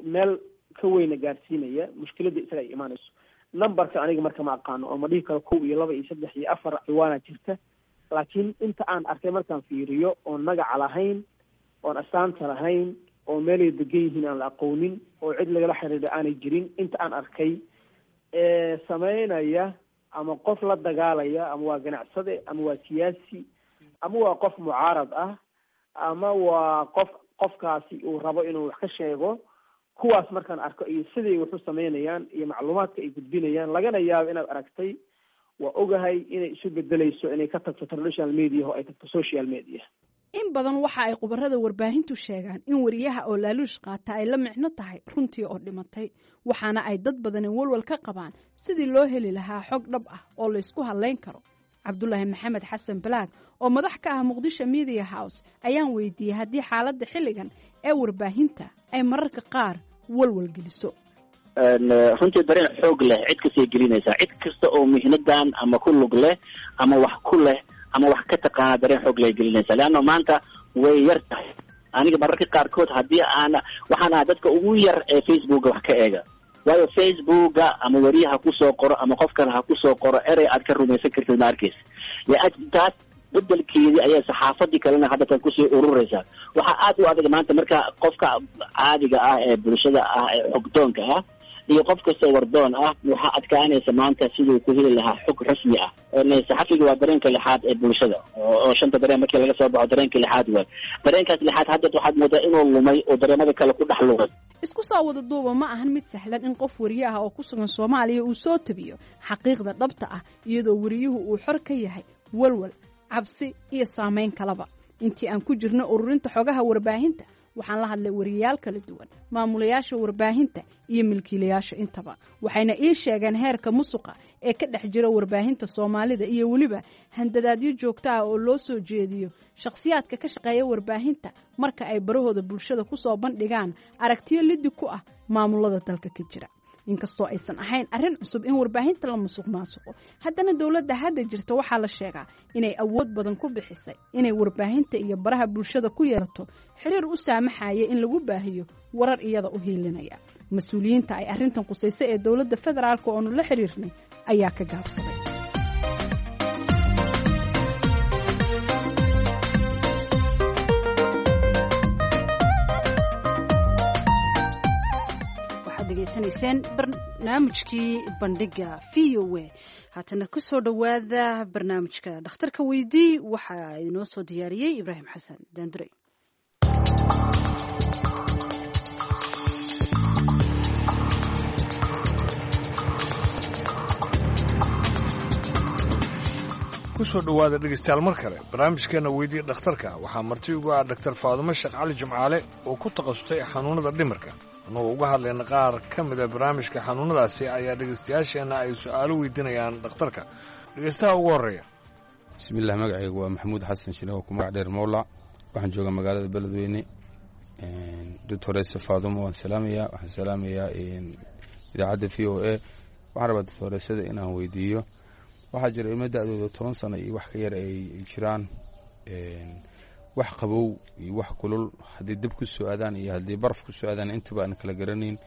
R: meel ka weyna gaarsiinaya mushkiladda isaga ay imaanayso. Numberka aniga marka ma aqaano oo ma dhihi karo 1 iyo 2 iyo 3 iyo 4 ciwaana jirta, laakiin inta aan arkay markaan fiiriyo oon magaca lahayn, oon astaanta lahayn, oo meelay degan yihiin aan la aqoonin, oo cid lagala xiriiro aanay jirin, inta aan arkay ee sameynaya ama qof la dagaalaya, ama waa ganacsade ama waa siyaasi ama waa qof mucaarad ah ama waa qof qofkaasi uu rabo inuu wax ka sheego, kuwaas markaan arko iyo siday wax u sameynayaan iyo macluumaadka ay gudbinayaan, lagana yaabo inaad aragtay, waa ogahay inay isu bedelayso inay ka tagto traditional media oo ay tagto social media.
Q: In badan waxa ay khubarada warbaahintu sheegaan in wariyaha oo laaluush qaata ay la micno tahay runtii oo dhimatay, waxaana ay dad badani walwal ka qabaan sidii loo heli lahaa xog dhab ah oo laysku hadlayn karo. Cabdulaahi Maxamed Xasan Balaag oo madax ka ah Muqdisho Media House ayaan weydiiyey haddii xaaladda xilligan ee warbaahinta ay mararka qaar walwal geliso.
S: Runtii dareen xoog leh cid kastay gelinaysaa, cid kasta oo mihnadan ama ku lug leh ama wax ku leh ama wax ka taqaana dareen xoog leh gelinaysaa, leanna maanta way yar tahay. Aniga mararka qaarkood haddii aan waxaan ahaa dadka ugu yar ee Facebooka wax ka eega, waayo Facebooka ama weriyaha kusoo qoro ama qof kale ha kusoo qoro erey aad ka rumaysan kartid ma arkeysa. Taas bedelkeedii ayaa saxaafadii kalena hadda tan kusii urureysaa. Waxaa aad u adag maanta marka qofka caadiga ah ee bulshada ah ee xogdoonka ah iyo qof kastoo wardoon ah waxaa adkaanaysa maanta siduu ku heli lahaa xog rasmi ah. Saxafiga waa dareenka lixaad ee bulshada, oo shanta dareen markii laga soo baxo dareenka lixaad waay. Dareenkaas lixaad hadda waxaad moodaa inuu lumay oo dareemada kale ku dhex lumay.
Q: Isku soo wada duuba, ma ahan mid sahlan in qof wariye ah oo ku sugan Soomaaliya uu soo tabiyo xaqiiqda dhabta ah, iyadoo wariyuhu uu xor ka yahay walwal, cabsi iyo saameyn kalaba. Intii aan ku jirno ururinta xogaha warbaahinta, waxaan la hadlay wariyayaal kala duwan, maamulayaasha warbaahinta iyo milkiilayaasha intaba, waxayna ii sheegeen heerka musuqa ee ka dhex jira warbaahinta Soomaalida iyo weliba handadaadyo joogto ah oo loo soo jeediyo shakhsiyaadka ka shaqeeya warbaahinta marka ay barahooda bulshada ku soo bandhigaan aragtiyo lidi ku ah maamulada dalka ka jira. Inkastoo aysan ahayn arrin cusub in warbaahinta la musuq maasuqo, haddana dowladda hadda jirta waxaa la sheegaa inay awood badan ku bixisay inay warbaahinta iyo baraha bulshada ku yeelato xiriir u saamaxaya in lagu baahiyo warar iyada u hiilinaya. Mas-uuliyiinta ay arrintan qusayso ee dowladda federaalka oonu la xiriirnay ayaa ka gaabsaday.
B: Degeysanayseen barnaamijkii Bandhiga V O A. Haatana kusoo dhowaada barnaamijka Dhakhtarka Weydii. Waxaa inoo soo diyaariyey Ibraahim Xasan Daandurey.
K: Kusoo dhowaada dhegaystayaal mar kale barnaamijkeenna Weydii Dhakhtarka. Waxaa marti ugu ah Dhaktar Faadumo Sheekh Cali Jimcaale oo ku takhasustay xanuunnada dhimirka. Annagoo uga hadlayna qaar ka mida barnaamijka xanuunnadaasi ayaa dhegaystayaasheenna ay su'aalo weydiinayaan dhakhtarka. Dhegaystaha ugu horreeya.
U: Bismiillah, magacaygu waa Maxamuud Xasan Shine oo ku magac dheer Mowlac. Waxaan joogaa magaalada Beledweyne. Doctorese Faadumo waan salaamayaa, waxaan salaamayaa idaacadda VOA. Waxaan rabaa doctoresada inaan weydiiyo, waxaa jira ilmo da-dooda 10 sano iyo wax ka yar ay jiraan, wax qabow iyo wax kulul haddii dab ku soo aadaan iyo haddii baraf ku soo aadaan intaba aan kala garanayn.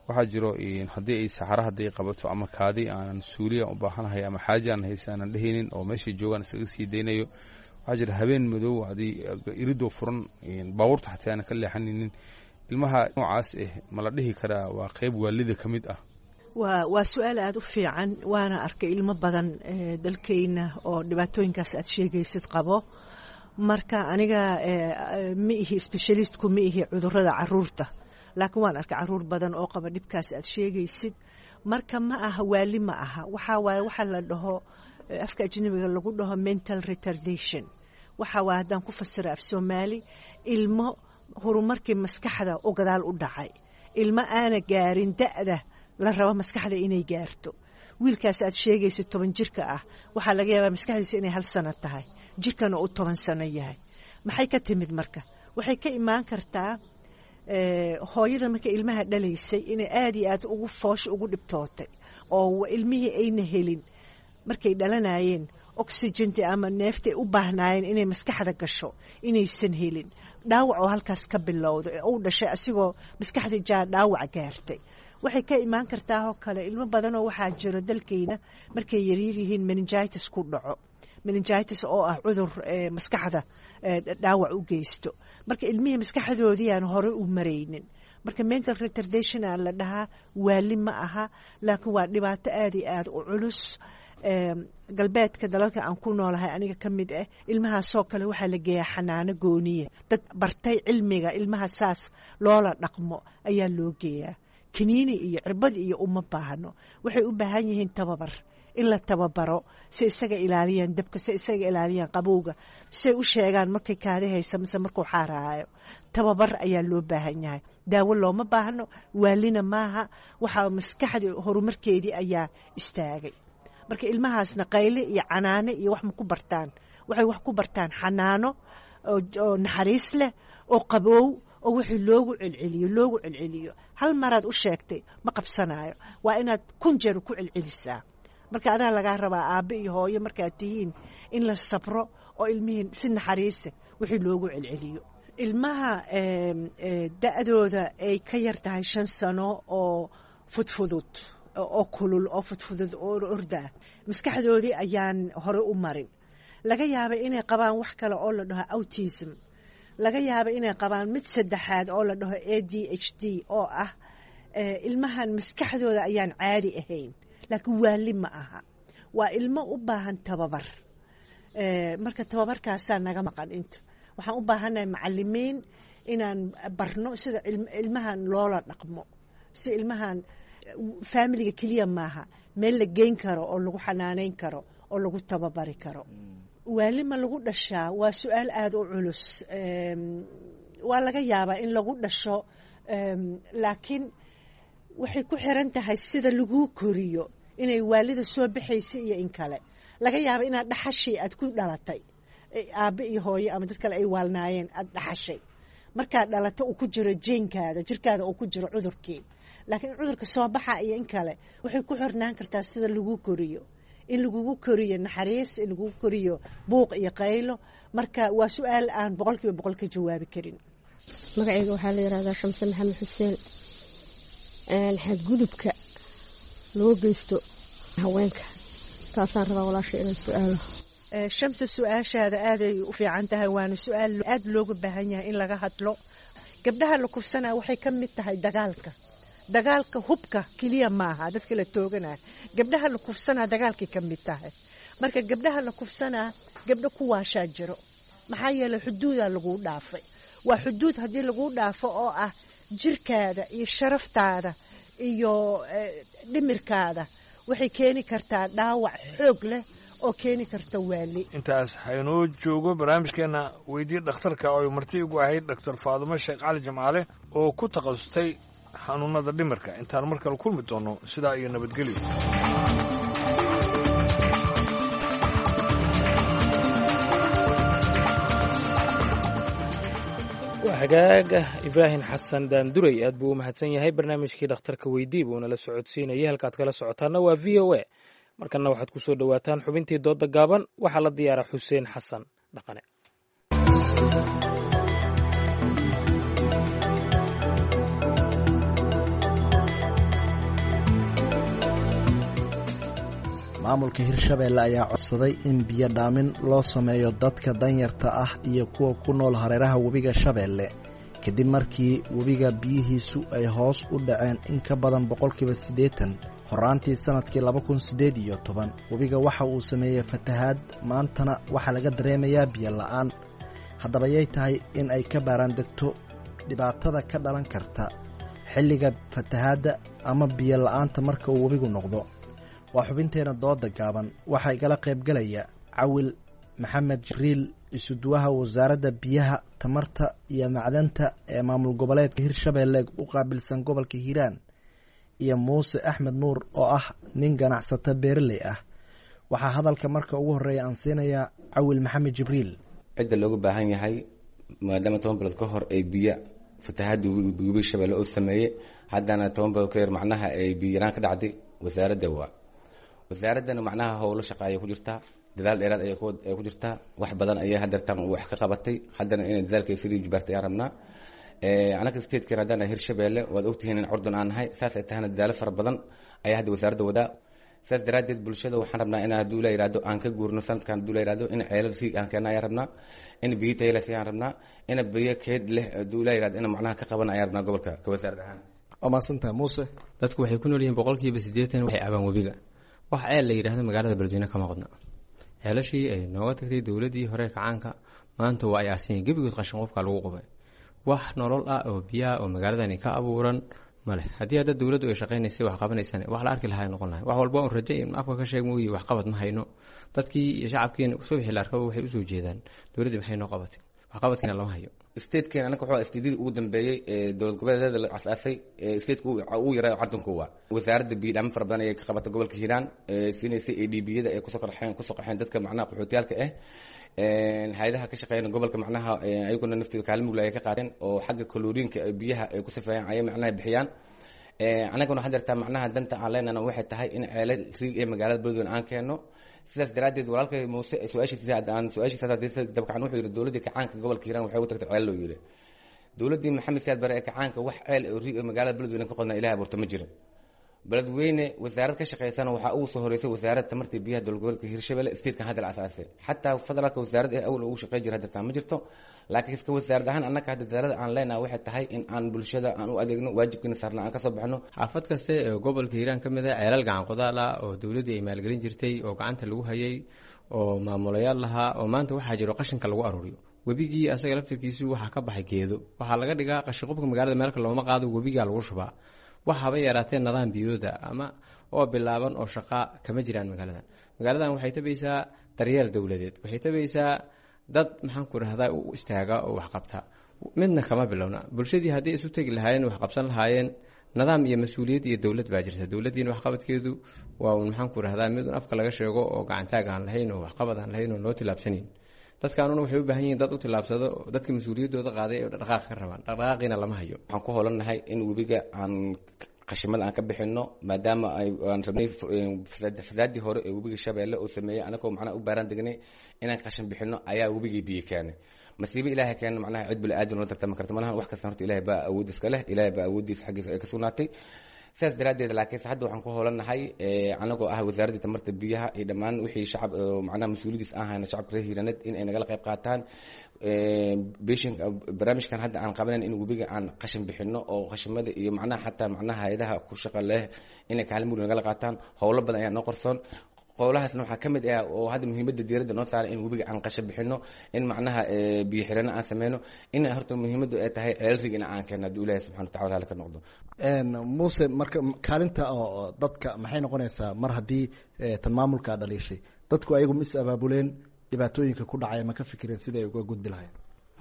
U: Waxaa jiro haddii ay saxaro hadday qabato ama kaadi aanan suuliya u baahanahay ama xaaja aan haysa aanan dhehaynin oo meeshay joogaan iskaga sii daynayo. Waxaa jira habeen madow haddii iridoo furan baabuurta xataa aanan ka leexanaynin. Ilmaha noocaas ah ma la dhihi karaa waa qeyb waalida ka mid ah?
V: Waa su-aal aada u fiican, waana arkay ilmo badan dalkeyna oo dhibaatooyinkaas aad sheegaysid qabo. Marka aniga ma ihi specialistku, ma ihi cudurada caruurta, laakiin waan arkay caruur badan oo qaba dhibkaas aad sheegaysid. Marka ma aha waali, ma aha. Waxaa waaye waxa la dhaho afka ajnabiga lagu dhaho mental retardation. Waxa waaye, haddaan ku fasira af Soomaali, ilmo horumarkii maskaxda oo gadaal u dhacay, ilmo aana gaarin da'da la rabo maskaxda inay gaarto. Wiilkaas aad sheegaysa 10 jirka ah waxaa laga yaabaa maskaxdiisa inay 1 sano tahay, jirkana uu 10 sano yahay. Maxay ka timid? Marka waxay ka imaan kartaa hooyada marka ilmaha dhalaysay inay aada iyo aad ugu foosha ugu dhibtootay oo ilmihii ayna helin markay dhalanayeen oxygenti ama neeftay u baahnaayeen inay maskaxda gasho inaysan helin, dhaawac oo halkaas ka bilowdo ee uu dhashay asigoo maskaxda jaa dhaawac gaartay. Waxay ka imaan kartaa oo kale ilmo badanoo waxaa jiro dalkeyna markay yaryar yihiin meningitis ku dhaco, meningitis oo ah cudur maskaxda dhaawac u geysto. Marka ilmihii maskaxdoodii aan hore u maraynin. Marka mental retardation aa la dhahaa, waali ma aha, laakiin waa dhibaato aada iyo aada u culus. Galbeedka dalalka aan ku noolahay aniga ka mid ah, ilmahaasoo kale waxaa la geeyaa xanaano gooniye, dad bartay cilmiga ilmaha saas loola dhaqmo ayaa loo geeyaa. Kaniini iyo cirbad iyo uma baahno, waxay u baahan yihiin tababar, in la tababaro si isaga ilaaliyaan dabka, si isaga ilaaliyaan qabowga, si ay u sheegaan markay kaadi haysa mise markuu xaaraayo. Tababar ayaa loo baahan yahay, daawo looma baahno, waalina maaha. Waxaa maskaxdii horumarkeedii ayaa istaagay. Marka ilmahaasna qayle iyo canaano iyo wax ma ku bartaan, waxay wax ku bartaan xanaano oo naxariis leh oo qaboow oo wixii loogu celceliyo, loogu celceliyo. Hal maraad u sheegtay ma qabsanaayo, waa inaad 1000 jeer ku celcelisaa. Marka adaa lagaa rabaa aabbe iyo hooyo markaad tihiin in la sabro oo ilmihii si naxariisa wixii loogu celceliyo. Ilmaha da-dooda ay ka yar tahay 5 sano oo fudfudud oo kulul oo fudfudud oo ordaa, maskaxdoodii ayaan hore u marin. Laga yaaba inay qabaan wax kale oo la dhaho autism, laga yaaba inay qabaan mid saddexaad oo la dhaho ADHD oo ah Ilmahan maskaxdooda ayaan caadi ahayn, laakiin waali ma aha, waa ilmo u baahan tababar. Marka tababarkaasaa naga maqan. Inta waxaan u baahannahay macalimiin inaan barno sida ilmahan loola dhaqmo, si ilmahan faamiliga keliya maaha, meel la geyn karo oo lagu xanaaneyn karo oo lagu tababari karo. Waali ma lagu dhashaa? Waa su-aal aada u culus. Waa laga yaabaa in lagu dhasho, laakiin waxay ku xiran tahay sida laguu koriyo inay waalida soo baxaysa iyo in kale. Laga yaaba inaad dhaxashii aad ku dhalatay, aabe iyo hooyo ama dad kale ay waalnaayeen, aad dhaxashay markaad dhalato, uu ku jiro jeenkaada, jirkaada uu ku jiro cudurkii. Laakiin cudurka soo baxa iyo in kale waxay ku xirnaan kartaa sida lagu koriyo, in lagugu koriyo naxariis, in lagugu koriyo buuq iyo qaylo. Marka waa su-aal aan 100% ka jawaabi karin.
D: Magacayga waxaa la yihahdaa Shamse Maxamed Xuseen. Xadgudubka loo geysto haweenka, taasaan rabaa walaasha inaan su-aalo.
V: Shamse, su-aashaada aaday u fiican tahay, waana su-aal aada looga baahan yahay in laga hadlo. Gabdhaha la kufsanaa waxay ka mid tahay dagaalka. Dagaalka hubka keliya maaha, dadka la tooganaa, gabdhaha la kufsanaa dagaalkay ka mid tahay. Marka gabdhaha la kufsanaa, gabdho ku waashaa jiro, maxaa yeelay xuduudaa laguu dhaafay. Waa xuduud haddii laguu dhaafo oo ah jirkaada iyo sharaftaada iyo dhimirkaada, waxay keeni kartaa dhaawac xoog leh oo keeni karta waali.
K: Intaas haynoo joogo barnaamijkeenna weydii dhakhtarka oo ay marti igu ahayd Doctor Faadumo Sheekh Cali Jamcaale oo ku takhasustay xanuunada dhimirka. Intaan mar kale kulmi doonno, sidaa iyo nabadgelyo.
C: Waa hagaaga. Ibraahim Xasan Daanduray aad buu u mahadsan yahay. Barnaamijkii dhakhtarka weydii buu nala socodsiinayay. Halkaad kala socotaanna waa VOA. Markanna waxaad ku soo dhowaataan xubintii doodda gaaban. Waxaa la diyaara Xuseen Xasan Dhaqane.
G: Maamulka Hirshabeelle ayaa codsaday in biyo dhaamin loo sameeyo dadka danyarta ah iyo kuwa ku nool hareeraha webiga Shabeelle, kadib markii webiga biyihiisu ay hoos u dhaceen in ka badan 80% horaantii sannadkii 2018. Webiga waxa uu sameeyey fatahaad, maantana waxaa laga dareemayaa biyo la'aan. Haddaba yay tahay in ay ka baaraan degto dhibaatada ka dhalan karta xilliga fatahaadda ama biyo la'aanta marka uu webigu noqdo? Waa xubinteena dooda gaaban. Waxaa igala qaybgalaya Cawil Maxamed Jibriil, isuduwaha wasaaradda biyaha, tamarta iyo macdanta ee maamul goboleedka Hirshabeelle u qaabilsan gobolka Hiiraan, iyo Muuse Axmed Nuur oo ah nin ganacsato beeraley ah. Waxaa hadalka marka ugu horreeya aan siinayaa Cawil Maxamed Jibriil.
W: Cidda looga baahan yahay, maadaama 10 bilood ka hor ay biyo fatahaadda webiga Shabeelle oo sameeyey, haddana 10 bilood ka yar macnaha ay biyo yaraan ka dhacday, wasaaradda waa wasaaraddana macnaha howlo shaqa ayay ku jirtaa, dadaal dheeraad ayay ku jirtaa, wax badan ayay hadeertaan wax ka qabatay, haddana inay dadaalka sii jibaartay ayaan rabnaa. Anaka statekan haddaan Hirshabeelle, waad ogtihiin in curdun aan nahay, saas ay tahana dadaalo fara badan ayaa hadda wasaaradda wadaa. Saas daraaddeed bulshada waxaan rabnaa in hadduu la yihahdo aan ka guurno sanadkan, hadduu la yihahdo in ceelal riig aan keena ayaan rabnaa, in biyo tayo leh ayaan rabnaa, in biyo keed leh hadduu la yihahdo in macnaha ka qaban ayaan rabnaa gobolka ka wasaarad ahaan.
G: Waa mahadsantahay, Muuse.
X: Dadku waxay ku nool yihiin 80% waxay cabaan webiga. Wax ceel la yidhaahdo magaalada Beledweyne kama qodna. Ceelashii ay nooga tagtay dowladdii hore kacaanka maanta waa ay aasanyeen gebigood, qashin qofka lagu qubay. Wax nolol ah oo biyaha oo magaaladani ka abuuran male. Haddii hadda dowladdu ay shaqaynaysay, wax qabanaysaan, wax la arki lahaa noqon lahay. Wax walba un raje afka ka sheeg mooye, waxqabad ma hayno. Dadkii iyo shacabkiina subaxii la arkaba waxay usoo jeedaan dowladdii maxay noo qabatay, waxqabadkiina lama hayo.
W: Statekan anaka wuxuu statedii ugu dambeeyey ee dowlad goboleedyada la asaasay, stateka ugu yaraa cardunka. Waa wasaaradda biyo dhaamin fara badan ayay ka qabatay gobolka Hiiraan, siinaysay ADB-yada ay kusoo qarxeen, kusoo qaxeen dadka macnaha qaxootiyaalka ah. Hay-adaha ka shaqeeyana gobolka macnaha ayaguna naftooda kaalin mugla ayay ka qaateen oo xagga kaloriinka biyaha ay ku safeeyaan ayay macnaha bixiyaan. Anaguna waxaa jirtaa macnaha danta aan leenana waxay tahay in ceelal riig ee magaalada Beledweyne aan keenno. Sidaas daraaddeed walaalkay Muuse su-aashiisa aan su-aashiisa dabcan wuxuu yidhi dowladdii kacaanka gobolka Hiiraan waxay u tagtay ceel loo yidhi. Dowladdii Maxamed Siyaad Bare ee kacaanka wax ceel oo riig ee magaalada Beledweyne ka qodnaa Ilahay abuurta ma jirin. Beledweyne wasaarad ka shaqeysana waxaa ugu soo horeysay wasaaradda tamarta biyaha dowlad goboleedka Hirshabelle statekan hadda la asaasay. Xataa federaalka wasaaradda ee awal ugu shaqey jira hadda ma jirto, laakiin iska wasaarad ahaan annaka hadda dadaalada aan leenahay waxay tahay in aan bulshada aan u adeegno, waajibkiina saarna aan kasoo baxno.
X: Xaafad kaste ee gobolka Hiiraan ka mid ah ceelal gacan qodaal ah oo dowladdii ay maalgelin jirtay oo gacanta lagu hayay oo maamulayaal lahaa oo maanta waxaa jiro qashinka lagu aruuriyo. Webigii asaga laftirkiisu waxaa ka baxay geedo, waxaa laga dhigaa qashinqubka magaalada, meelka looma qaado, webigaa lagu shubaa. Waxaaba yaraatee nidaam biyooda ama oo bilaaban oo shaqaa kama jiraan magaaladan. Magaaladan waxay tabaysaa daryeel dowladeed, waxay tabaysaa dad maxaan ku rahdaa u istaaga oo wax qabta, midna kama bilowna. Bulshadii haddii isu tegi lahaayeen wax qabsan lahaayeen, nidaam iyo mas-uuliyad iyo dowlad baa jirta. Dowladdiina waxqabadkeedu waa un maxaan ku rahdaa mid un afka laga sheego oo gacantaag aan lahayn oo waxqabad aan lahayn oo loo tilaabsanayn. Dadkaanuna waxay u baahan yihiin dad u tilaabsado, dadka mas-uuliyaddooda qaaday ee dhaqdhaqaaq ka rabaan, dhaqdhaqaaqiina lama hayo.
W: Waxaan ku holannahay in webiga aan qashimada aan ka bixino, maadaama aan rabnay fasaadii hore ee webiga Shabeelle oo sameeyey, anagoo macnaha u baaraan degnay inaan qashin bixino ayaa webigii biyo keenay. Masiibo Ilaahay keena, macnaha cid bini aadan loo tartami karta malahan. Wax kasta horta Ilaahay baa awood iska leh, Ilaahay baa awooddiisa xaggiisa ay ka sugnaatay. Sidaas daraaddeed laakiinse hadda waxaan ku hoolannahay anagoo ah wasaaraddii tamarta biyaha iyo dhammaan wixii shacab macnaha mas-uuliyadiis aan hayna shacabka reer Hiiraaneed in ay nagala qayb qaataan beshin barnaamijkan hadda aan qabanayn, in webiga aan qashin bixino oo qashimada iyo macnaha xataa macnaha hay-adaha ku shaqa leh inay kaalin mugdi nagala qaataan. Howlo badan ayaa noo qarsoon, qowlahaasna waxaa ka mid ah oo hadda muhiimadda diiradda noo saaray in webiga aan qashin bixino, in macnaha biyo xirano aan sameyno, in horta muhiimaddu ay tahay ceelrig in aan keeno hadduu Ilaahay subxana watacala hali ka noqdo.
G: Muuse, marka kaalinta oo dadka maxay noqonaysaa mar haddii tan maamulka dhaliishay dadku ayagu ma is abaabuleen, dhibaatooyinka ku dhacaya ma ka fikireen siday uga gudbi lahayn?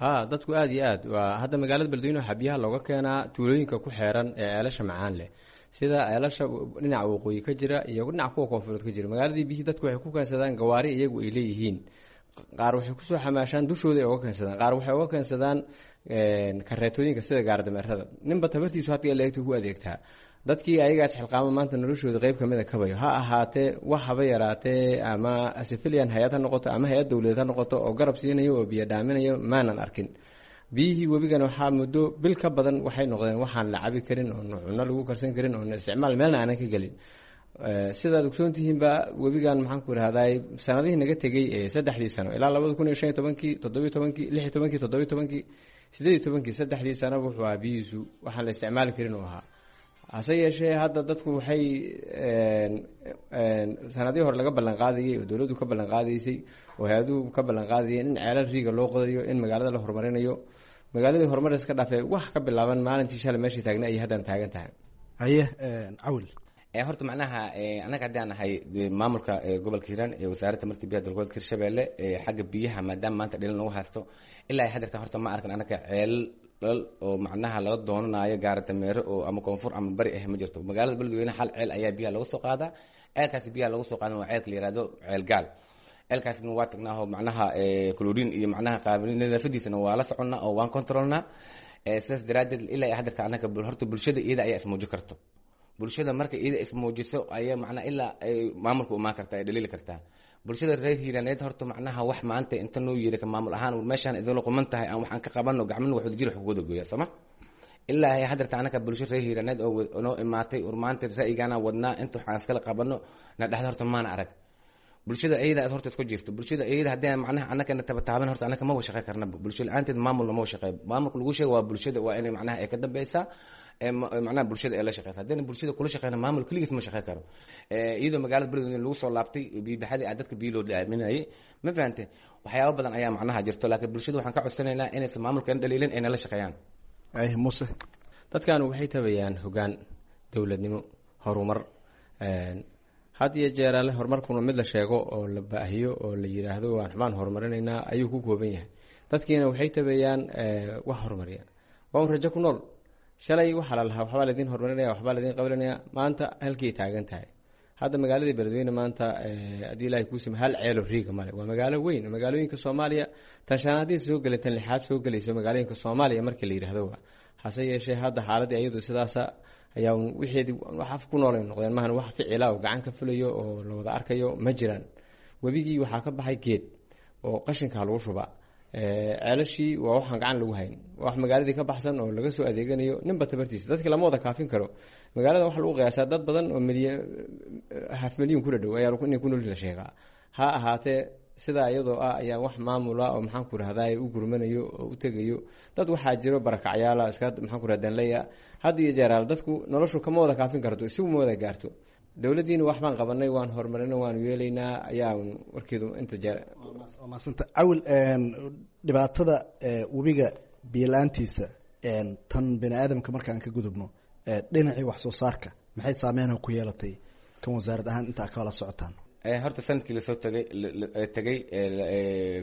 X: Ha, dadku aada iyo aad waa hadda magaalada Beledweyne waxaa biyaha looga keenaa tuulooyinka ku xeeran ee ceelasha macaan leh, sida ceelasha dhinaca waqooyi ka jira iyo dhinaca kuwa koonfureed ka jira. Magaaladii biyihii dadku waxay ku keensadaan gawaari iyagu ay leeyihiin, qaar waxay kusoo xamaashaan dushooda ay uga keensadaan, qaar waxay uga keensadaan kareetooyinka sida gaardameerada. Ninba tabartiisu hadda leegta ku adeegtaa. Dadkii ayagaas xilqaamo maanta noloshooda qeyb kamid a kabayo ha ahaatee, wax haba yaraatee ama civilian hay-ad ha noqoto ama hay-ad dowladeed ha noqoto oo garab siinayo oo biyo dhaaminayo maanan arkin. Biyihii webigana waxaa muddo bil ka badan waxay noqdeen waxaan la cabi karin oon cunno lagu karsan karin oon isticmaal meelna aanan ka gelin. Sidaad ogsoon tihiinba webigan maxaan ku irahday sanadihii naga tegey ee 3dii sano ilaa 2015kii, 17kii, 16kii, 17kii, 18kii, 3dii sanaba wuxuu ahaa biyihiisu waxaan la isticmaali karin uu ahaa. Hase yeeshee hadda dadku waxay sanadihii hore laga ballan qaadayay oo dowladdu ka ballan qaadaysay oo hay-aduhu ka ballan qaadayeen in ceelal riiga loo qodayo, in magaalada la horumarinayo. Magaaladii horumar iska dhaafee wax ka bilaaban maalintii shalay meeshii taagnay ayay haddana taagan tahay.
G: Haye Cawil.
W: Horta macnaha annaga haddii aan nahay maamulka gobolka Hiiraan ee wasaaradda tamarta biyaha dowlad goboleedka Hirshabelle xagga biyaha, maadaama maanta dhilin lagu haysto ilaa ay haddeerta horta ma arkan annaga ceelal oo macnaha laga doonanayo gaaradameero oo ama koonfur ama bari ah ma jirto. Magaalada Beledweyne hal ceel ayaa biyaha laga soo qaadaa, ceelkaasi biyaha laga soo qaadan waa ceelka la yihahdo Ceel Gaal. Ceelkaasna waa tagnaa oo macnaha chlorine iyo macnaha qaabin nadaafadiisana waa la soconnaa oo waan controlnaa. Sidaas daraaddeed ilaa ay haddeerta annaga horta bulshada iyada ayaa ismuujin karto. Bulshada marka iyada ismuujiso ayaa macnaha ilaa ay maamulka umaan kartaa, ay dhaliili kartaa. Bulshada reer Hiiraaneed horta macnaha wax maanta inta noo yeeri ka maamul ahaan meeshaan idinla quman tahay aan waxaan ka qabano gacmana wax wadajir wax kuwada gooya sooma. Ilaa ay haddeerta anaka bulsho reer Hiiraaneed oo noo imaatay war maanta ra'yigaana wadnaa inta waxaan iskala qabano na dhexda horta maana arag. Bulshada iyada horta isku jirto, bulshada iyada haddii macnaha annaka na tabataaban horta annaka ma wada shaqey karnaba. Bulsho la-aanteed maamulna ma wada shaqeeyo. Maamulka lagu sheego waa bulshada, waa inay macnaha ay ka dambeysaa macnaha bulshada ay la shaqeysa. Haddayna bulshada kula shaqeyna maamul keligiis ma shaqey karo. Iyadoo magaalada Beledweyne lagu soo laabtay biyo-baxadii aa dadka biyo loo dhaaminayay, ma fahante, waxyaabo badan ayaa macnaha jirto, laakiin bulshada waxaan ka codsanaynaa inaysan maamulkan dhaliilin ayna la shaqeeyaan.
G: Muuse,
X: dadkan waxay tabayaan hoggaan dowladnimo, horumar. Had iyo jeeraale horumarkuna mid la sheego oo la baahiyo oo la yidhaahdo waan xubaan horumarinaynaa ayuu ku kooban yahay. Dadkiina waxay tabayaan wax horumariya waa un rajo ku nool. Shalay waxaa la lahaa waxbaa laydin horumarinaya, waxbaa laydin qabanaya, maanta halkii taagan tahay. Hadda magaaladii Beledweyne maanta haddii Ilaahay kuu sima hal ceelo riiga male. Waa magaalo weyn, magaalooyinka Soomaaliya tan shanaad haddii soo gelay tan lixaad soo gelayso magaalooyinka Soomaaliya markii la yidhaahdo waa. Hase yeeshee hadda xaaladii iyadu sidaasa ayaa wixeedii wax af ku nool ay noqdeen, maahan wax ficila oo gacan ka fulayo oo la wada arkayo ma jiraan. Webigii waxaa ka baxay geed oo qashinka lagu shubaa. Ceelashii waa waxaan gacan lagu hayn, waa wax magaaladii ka baxsan oo laga soo adeeganayo ninba tabartiisa. Dadki lama wada kaafin karo. Magaalada waxaa lagu qiyaasaa dad badan oo milyan, half milyan ku dhadhow ayaa inay ku nool la sheegaa. Ha ahaatee, sidaa iyadoo ah ayaa wax maamula oo, maxaan ku rahdaay, u gurmanayo oo u tegayo. Dad waxaa jiro barakacyaala iska, maxaan ku rahda, danleya had iyo jeeraal. Dadku noloshu kama wada kaafin karto, isigu ma wada gaarto. Dowladdiina wax baan qabanay, waan horumarinay, waanu yeelaynaa ayaa warkeedu inta jeer.
G: Waa mahadsanta, Cawil. Dhibaatada webiga biyo la-aantiisa, tan bini aadamka markaan ka gudubno, dhinacii wax soo saarka maxay saameynha ku yeelatay kan wasaarad ahaan intaa kala socotaan?
W: Horta sanadkii lasoo tagay tagay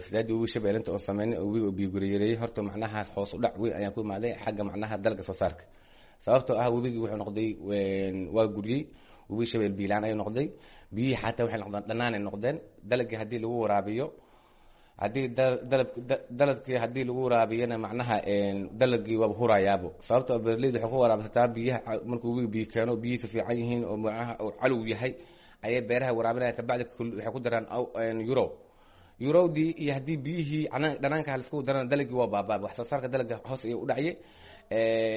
W: fatahaadii webiga Shabeelle inta oo sameynay oo webiga oo biyo guriyareeyay, horta macnahaas hoos u dhac weyn ayaan ku imaaday xagga macnaha dalagga soo saarka, sababtoo ah webigii wuxuu noqday, waa guriyey. Webiga Shabeel biilaan ayuu noqday, biyihii xataa waxay noqdeen dhanaan ay noqdeen. Dalagii haddii lagu waraabiyo, haddii dalab dalabkii haddii lagu waraabiyana, macnaha dalagii waaba hurayaabo, sababtoo beeraleydu waxay ku waraabsataa biyaha. Markuu webiga biyo keeno, biyihiisu fiican yihiin oo macnaha uu calow yahay, ayay beeraha waraabinayaan. Kabacdi waxay ku daraan euro eurowdii, iyo haddii biyihii dhanaanka laisku darana, dalagii waa baabaaba, wax soo saarka dalagga hoos ayuu u dhacye.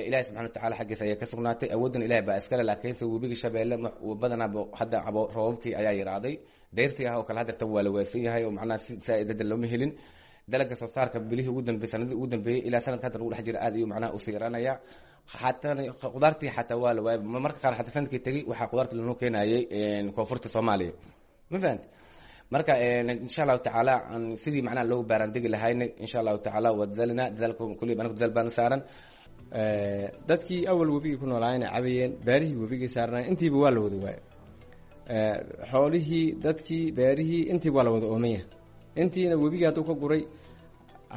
W: Ilahi subxana watacala xaggiisa ayay ka sugnaatay, awooddan Ilahi baa iskale. Laakiinse webiga Shabeelle badanaaba hadda roobabkii ayaa yaraaday, dayrtii ah oo kale hadeerta waa la waaysan yahay oo macnaha si saa-id hadda looma helin. Dalagga soo saarka bilihii ugu dambeeyey, sanadii ugu dambeeyey ilaa sanadka hadda lagu dhex jira, aad ayuu macnaha usii yaraanaya. Xataa qudaartii xataa waa la waayay marka qaar. Xataa sanadkii tegey waxaa qudaarta lanoo keenayay koonfurta Soomaaliya, ma fahanti? Marka insha Allahu tacaala sidii macnaha loogu baaraandegi lahayna, insha Allahu tacaala waa dadaalina. Dadaalka kulli anagu dadaal baana saaran.
X: Dadkii awal webigii ku noolaayna cabayeen, beerihii webigii saarnay, intiiba waa la wada waayo. Xoolihii, dadkii, beerihii, intiiba waa la wada oomanya. Intiina webigii hadduu ka guray,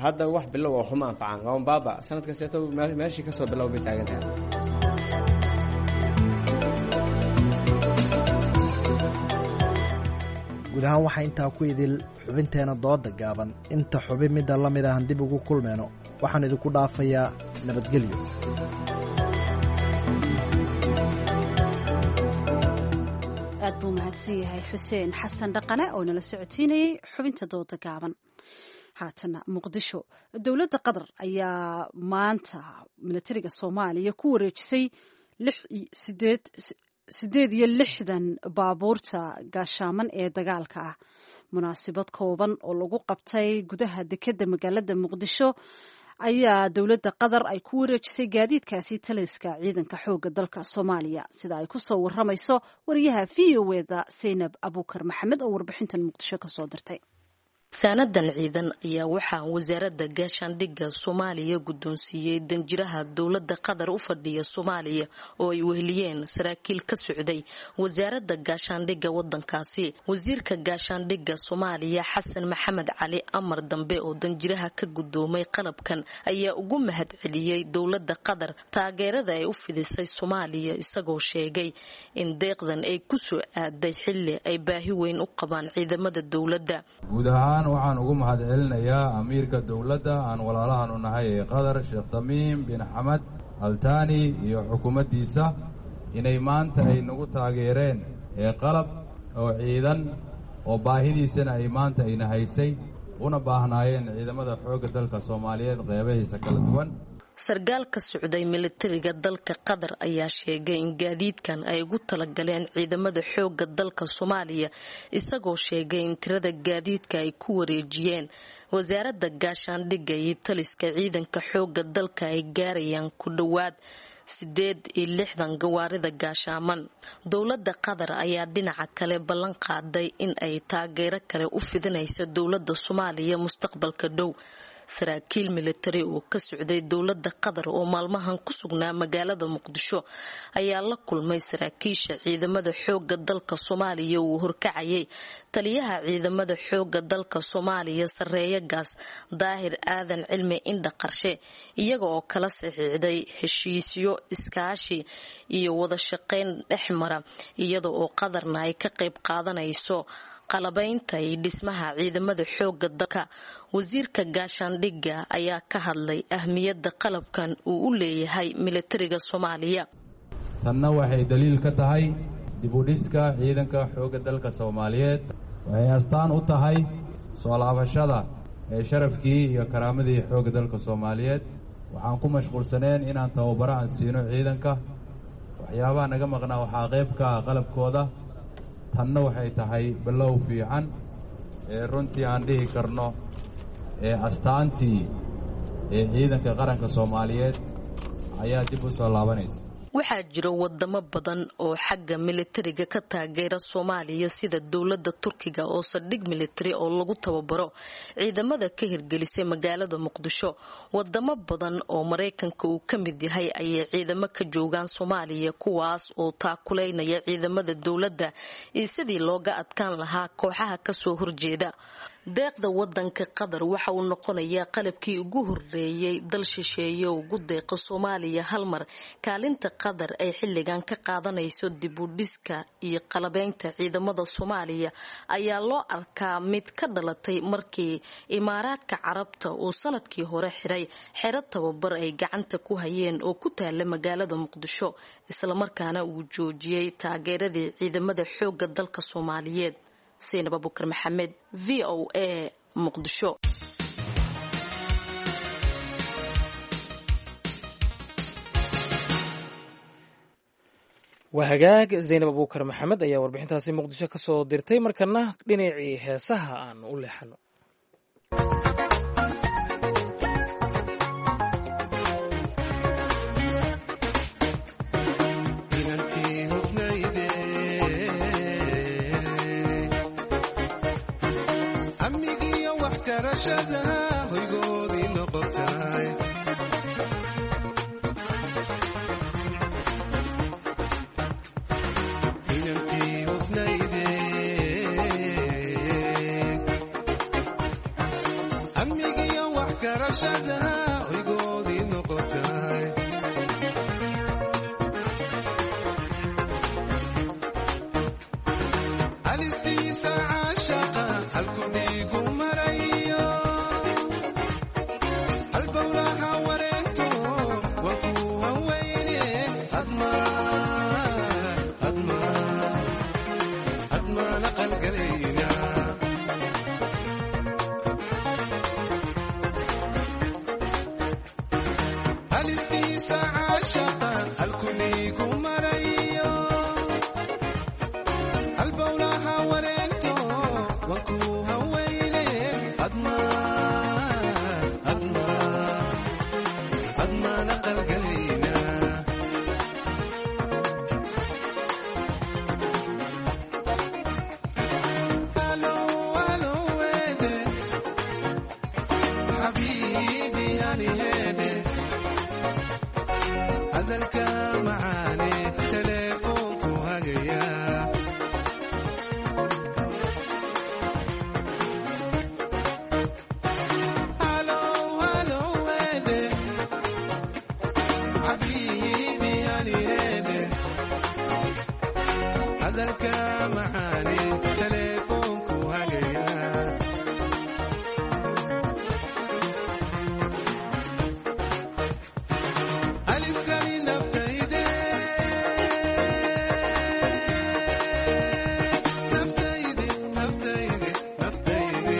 X: hadda wax bilow oo xuma anfacaan, waa un baaba. Sanad kasteeto meeshii kasoo bilow bay taagan tahay.
G: Guud ahaan waxaa intaa ku idil xubinteena dooda gaaban. Inta xubin midda la mid ahan dib ugu kulmeyno, waxaan idinku dhaafayaa nabadgelyo.
B: Aad buu mahadsan yahay Xuseen Xasan Dhaqane oo nala socotiinayay xubinta dooda gaaban. Haatana Muqdisho. Dowladda Qatar ayaa maanta milatariga Soomaaliya ku wareejisay 68 baabuurta gaashaaman ee dagaalka ah. Munaasabad kooban oo lagu qabtay gudaha dekedda magaalada Muqdisho ayaa dowladda Qatar ay ku wareejisay gaadiidkaasi taliska ciidanka xoogga dalka Soomaaliya, sida ay ku soo waramayso wariyaha V O eda Saynab Abuukar Maxamed oo warbixintan Muqdisho kasoo dirtay.
F: Saanadan ciidan ayaa waxaa wasaaradda gaashaandhigga Soomaaliya guddoonsiiyey danjiraha dowladda Qatar u fadhiya Soomaaliya oo ay weheliyeen saraakiil ka socday wasaaradda gaashaandhigga wadankaasi. Wasiirka gaashaandhigga Soomaaliya Xasan Maxamed Cali Amar Dambe oo danjiraha ka guddoomay qalabkan ayaa ugu mahad celiyey dowladda Qatar taageerada ay u fidisay Soomaaliya, isagoo sheegay in deeqdan ay kusoo aaday xilli ay baahi weyn u qabaan ciidamada dowladda.
H: Waxaan ugu mahad celinayaa amiirka dowladda aan walaalahanu nahay ee Qatar, Sheekh Tamiim bin Xamed Altani, iyo xukuumaddiisa inay maanta ay nagu taageereen ee qalab oo ciidan oo baahidiisana ay maanta ayna haysay una baahnaayeen ciidamada xoogga dalka Soomaaliyeed qeybahiisa kala duwan.
F: Sarkaal ka socday militariga dalka Qatar ayaa sheegay in gaadiidkan ay ugu talagaleen ciidamada xoogga dalka Soomaaliya, isagoo sheegay in tirada gaadiidka ay ku wareejiyeen wasaaradda gaashaandhigga iyo taliska ciidanka xoogga dalka ay gaarayaan ku dhowaad 68 gawaarida gaashaaman. Dowladda Qatar ayaa dhinaca kale ballan qaaday in ay taageero kale u fidinayso dowladda Soomaaliya mustaqbalka dhow. Saraakiil militari oo ka socday dowladda Qatar oo maalmahan ku sugnaa magaalada Muqdisho ayaa la kulmay saraakiisha ciidamada xoogga dalka Soomaaliya uu horkacayay taliyaha ciidamada xoogga dalka Soomaaliya, sareeya gaas Daahir Aadan Cilmi Indha Qarshe, iyaga oo kala saxiixday heshiisyo iskaashi iyo wada shaqeyn dhexmara, iyada oo Qatarna ay ka qayb qaadanayso qalabaynta iyo dhismaha ciidamada xoogga dalka. Wasiirka gaashaandhigga ayaa ka hadlay ahmiyadda qalabkan uu u leeyahay militariga Soomaaliya.
H: Tanna waxay daliil ka tahay dib u dhiska ciidanka xoogga dalka Soomaaliyeed. Waxay astaan u tahay soo laabashada Sharafkii iyo karaamadii xoogga dalka Soomaaliyeed. Waxaan ku mashquulsaneen inaan tababaro aan siino ciidanka. Waxyaabaha naga maqnaa waxaa qayb ka ah qalabkooda. Tanna waxay tahay bilow fiican ee runtii aan dhihi karno ee astaantii ee ciidanka qaranka Soomaaliyeed ayaa dib u soo laabanaysa.
F: Waxaa jira wadamo badan oo xagga militariga ka taageera Soomaaliya, sida dowlada Turkiga oo saldhig militari oo lagu tababaro ciidamada ka hirgelisay magaalada Muqdisho. Wadamo badan oo Maraykanka uu ka mid yahay ayay ciidamo ka joogaan Soomaaliya, kuwaas oo taakuleynaya ciidamada dowladda iyo sidii looga adkaan lahaa kooxaha kasoo horjeeda. Deeqda wadanka Qatar waxa uu noqonayaa qalabkii ugu horeeyay dal shisheeye ugu deeqa Soomaaliya hal mar. Kaalinta Qatar ay xilligan ka qaadanayso dib u dhiska iyo qalabeynta ciidamada Soomaaliya ayaa loo arkaa mid ka dhalatay markii Imaaraadka Carabta uu sanadkii hore xiray xero tababar ay gacanta ku hayeen oo ku taala magaalada Muqdisho, islamarkaana uu joojiyey taageeradii ciidamada xoogga dalka Soomaaliyeed. Saynab Abukar Maxamed, VOA, Muqdisho.
C: Waa hagaag, Zaynab Abuukar Maxamed ayaa warbixintaasi Muqdisho ka soo dirtay. Markana dhinacii heesaha aan u leexano.
I: Amigiyo wax karashada hoygoodii noqotay. Inantii hufnayde, amigiyo wax karashada hoygoodii noqotay. Alistiisa caashaqa halku dhiigu marayo, halbowlaha wareento waa ku haweyne. Admaana qalgalayna. Alistiisa caashaqa halku dhiigu marayo, halbowlaha wareento waa ku haweyne. Admaana qalgalayna. Alo, wede. Xabiibi, ani hede. Hadalka macaane telefoonku hagaya. Alo, alo, wede. Xabiibi, ani hede. Hadalka macaane telefoonku hagaya. Aliskani naftayde, naftayde, naftayde, naftayde,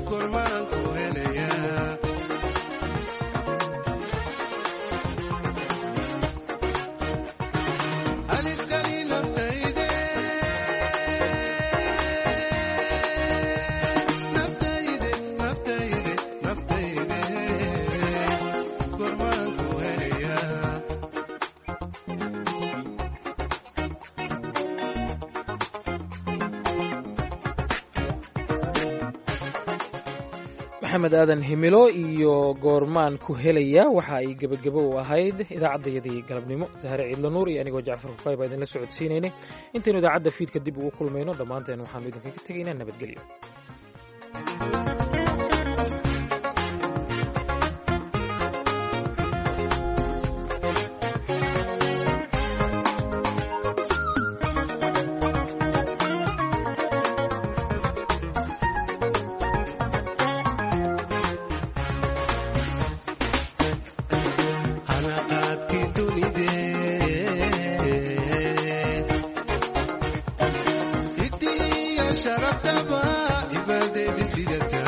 I: kormaan ku helaya. Aliskani naftayde, naftayde, naftayde, naftayde, kormaan ku helaya.
C: Maxamed Aadan Himilo iyo Goormaan ku helaya waxa ay gebagebo u ahayd idaacaddayadii galabnimo. Sahare Ciidla Nuur iyo anigoo Jacfar Hufaay baa idinla socodsiinaynay. Intaynu idaacadda fiidka dib ugu kulmayno, dhammaanteen waxaanu idinkaga tegaynaa nabadgelyo.
I: Hanaqaadkii dunide, itiyo sharabtaba ibadeedi sidata.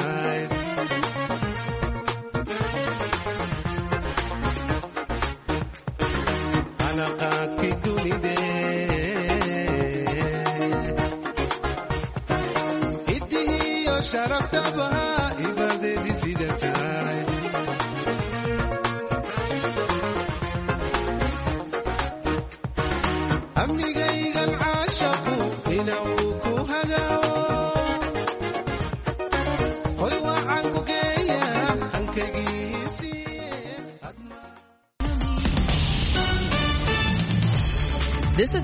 I: Iyo sharaftabaha ibadeedii sida tahay. Amnigaygan caashaqu inuu ku hagao, hoy waxaan ku geeya hankagiisii.
A: This is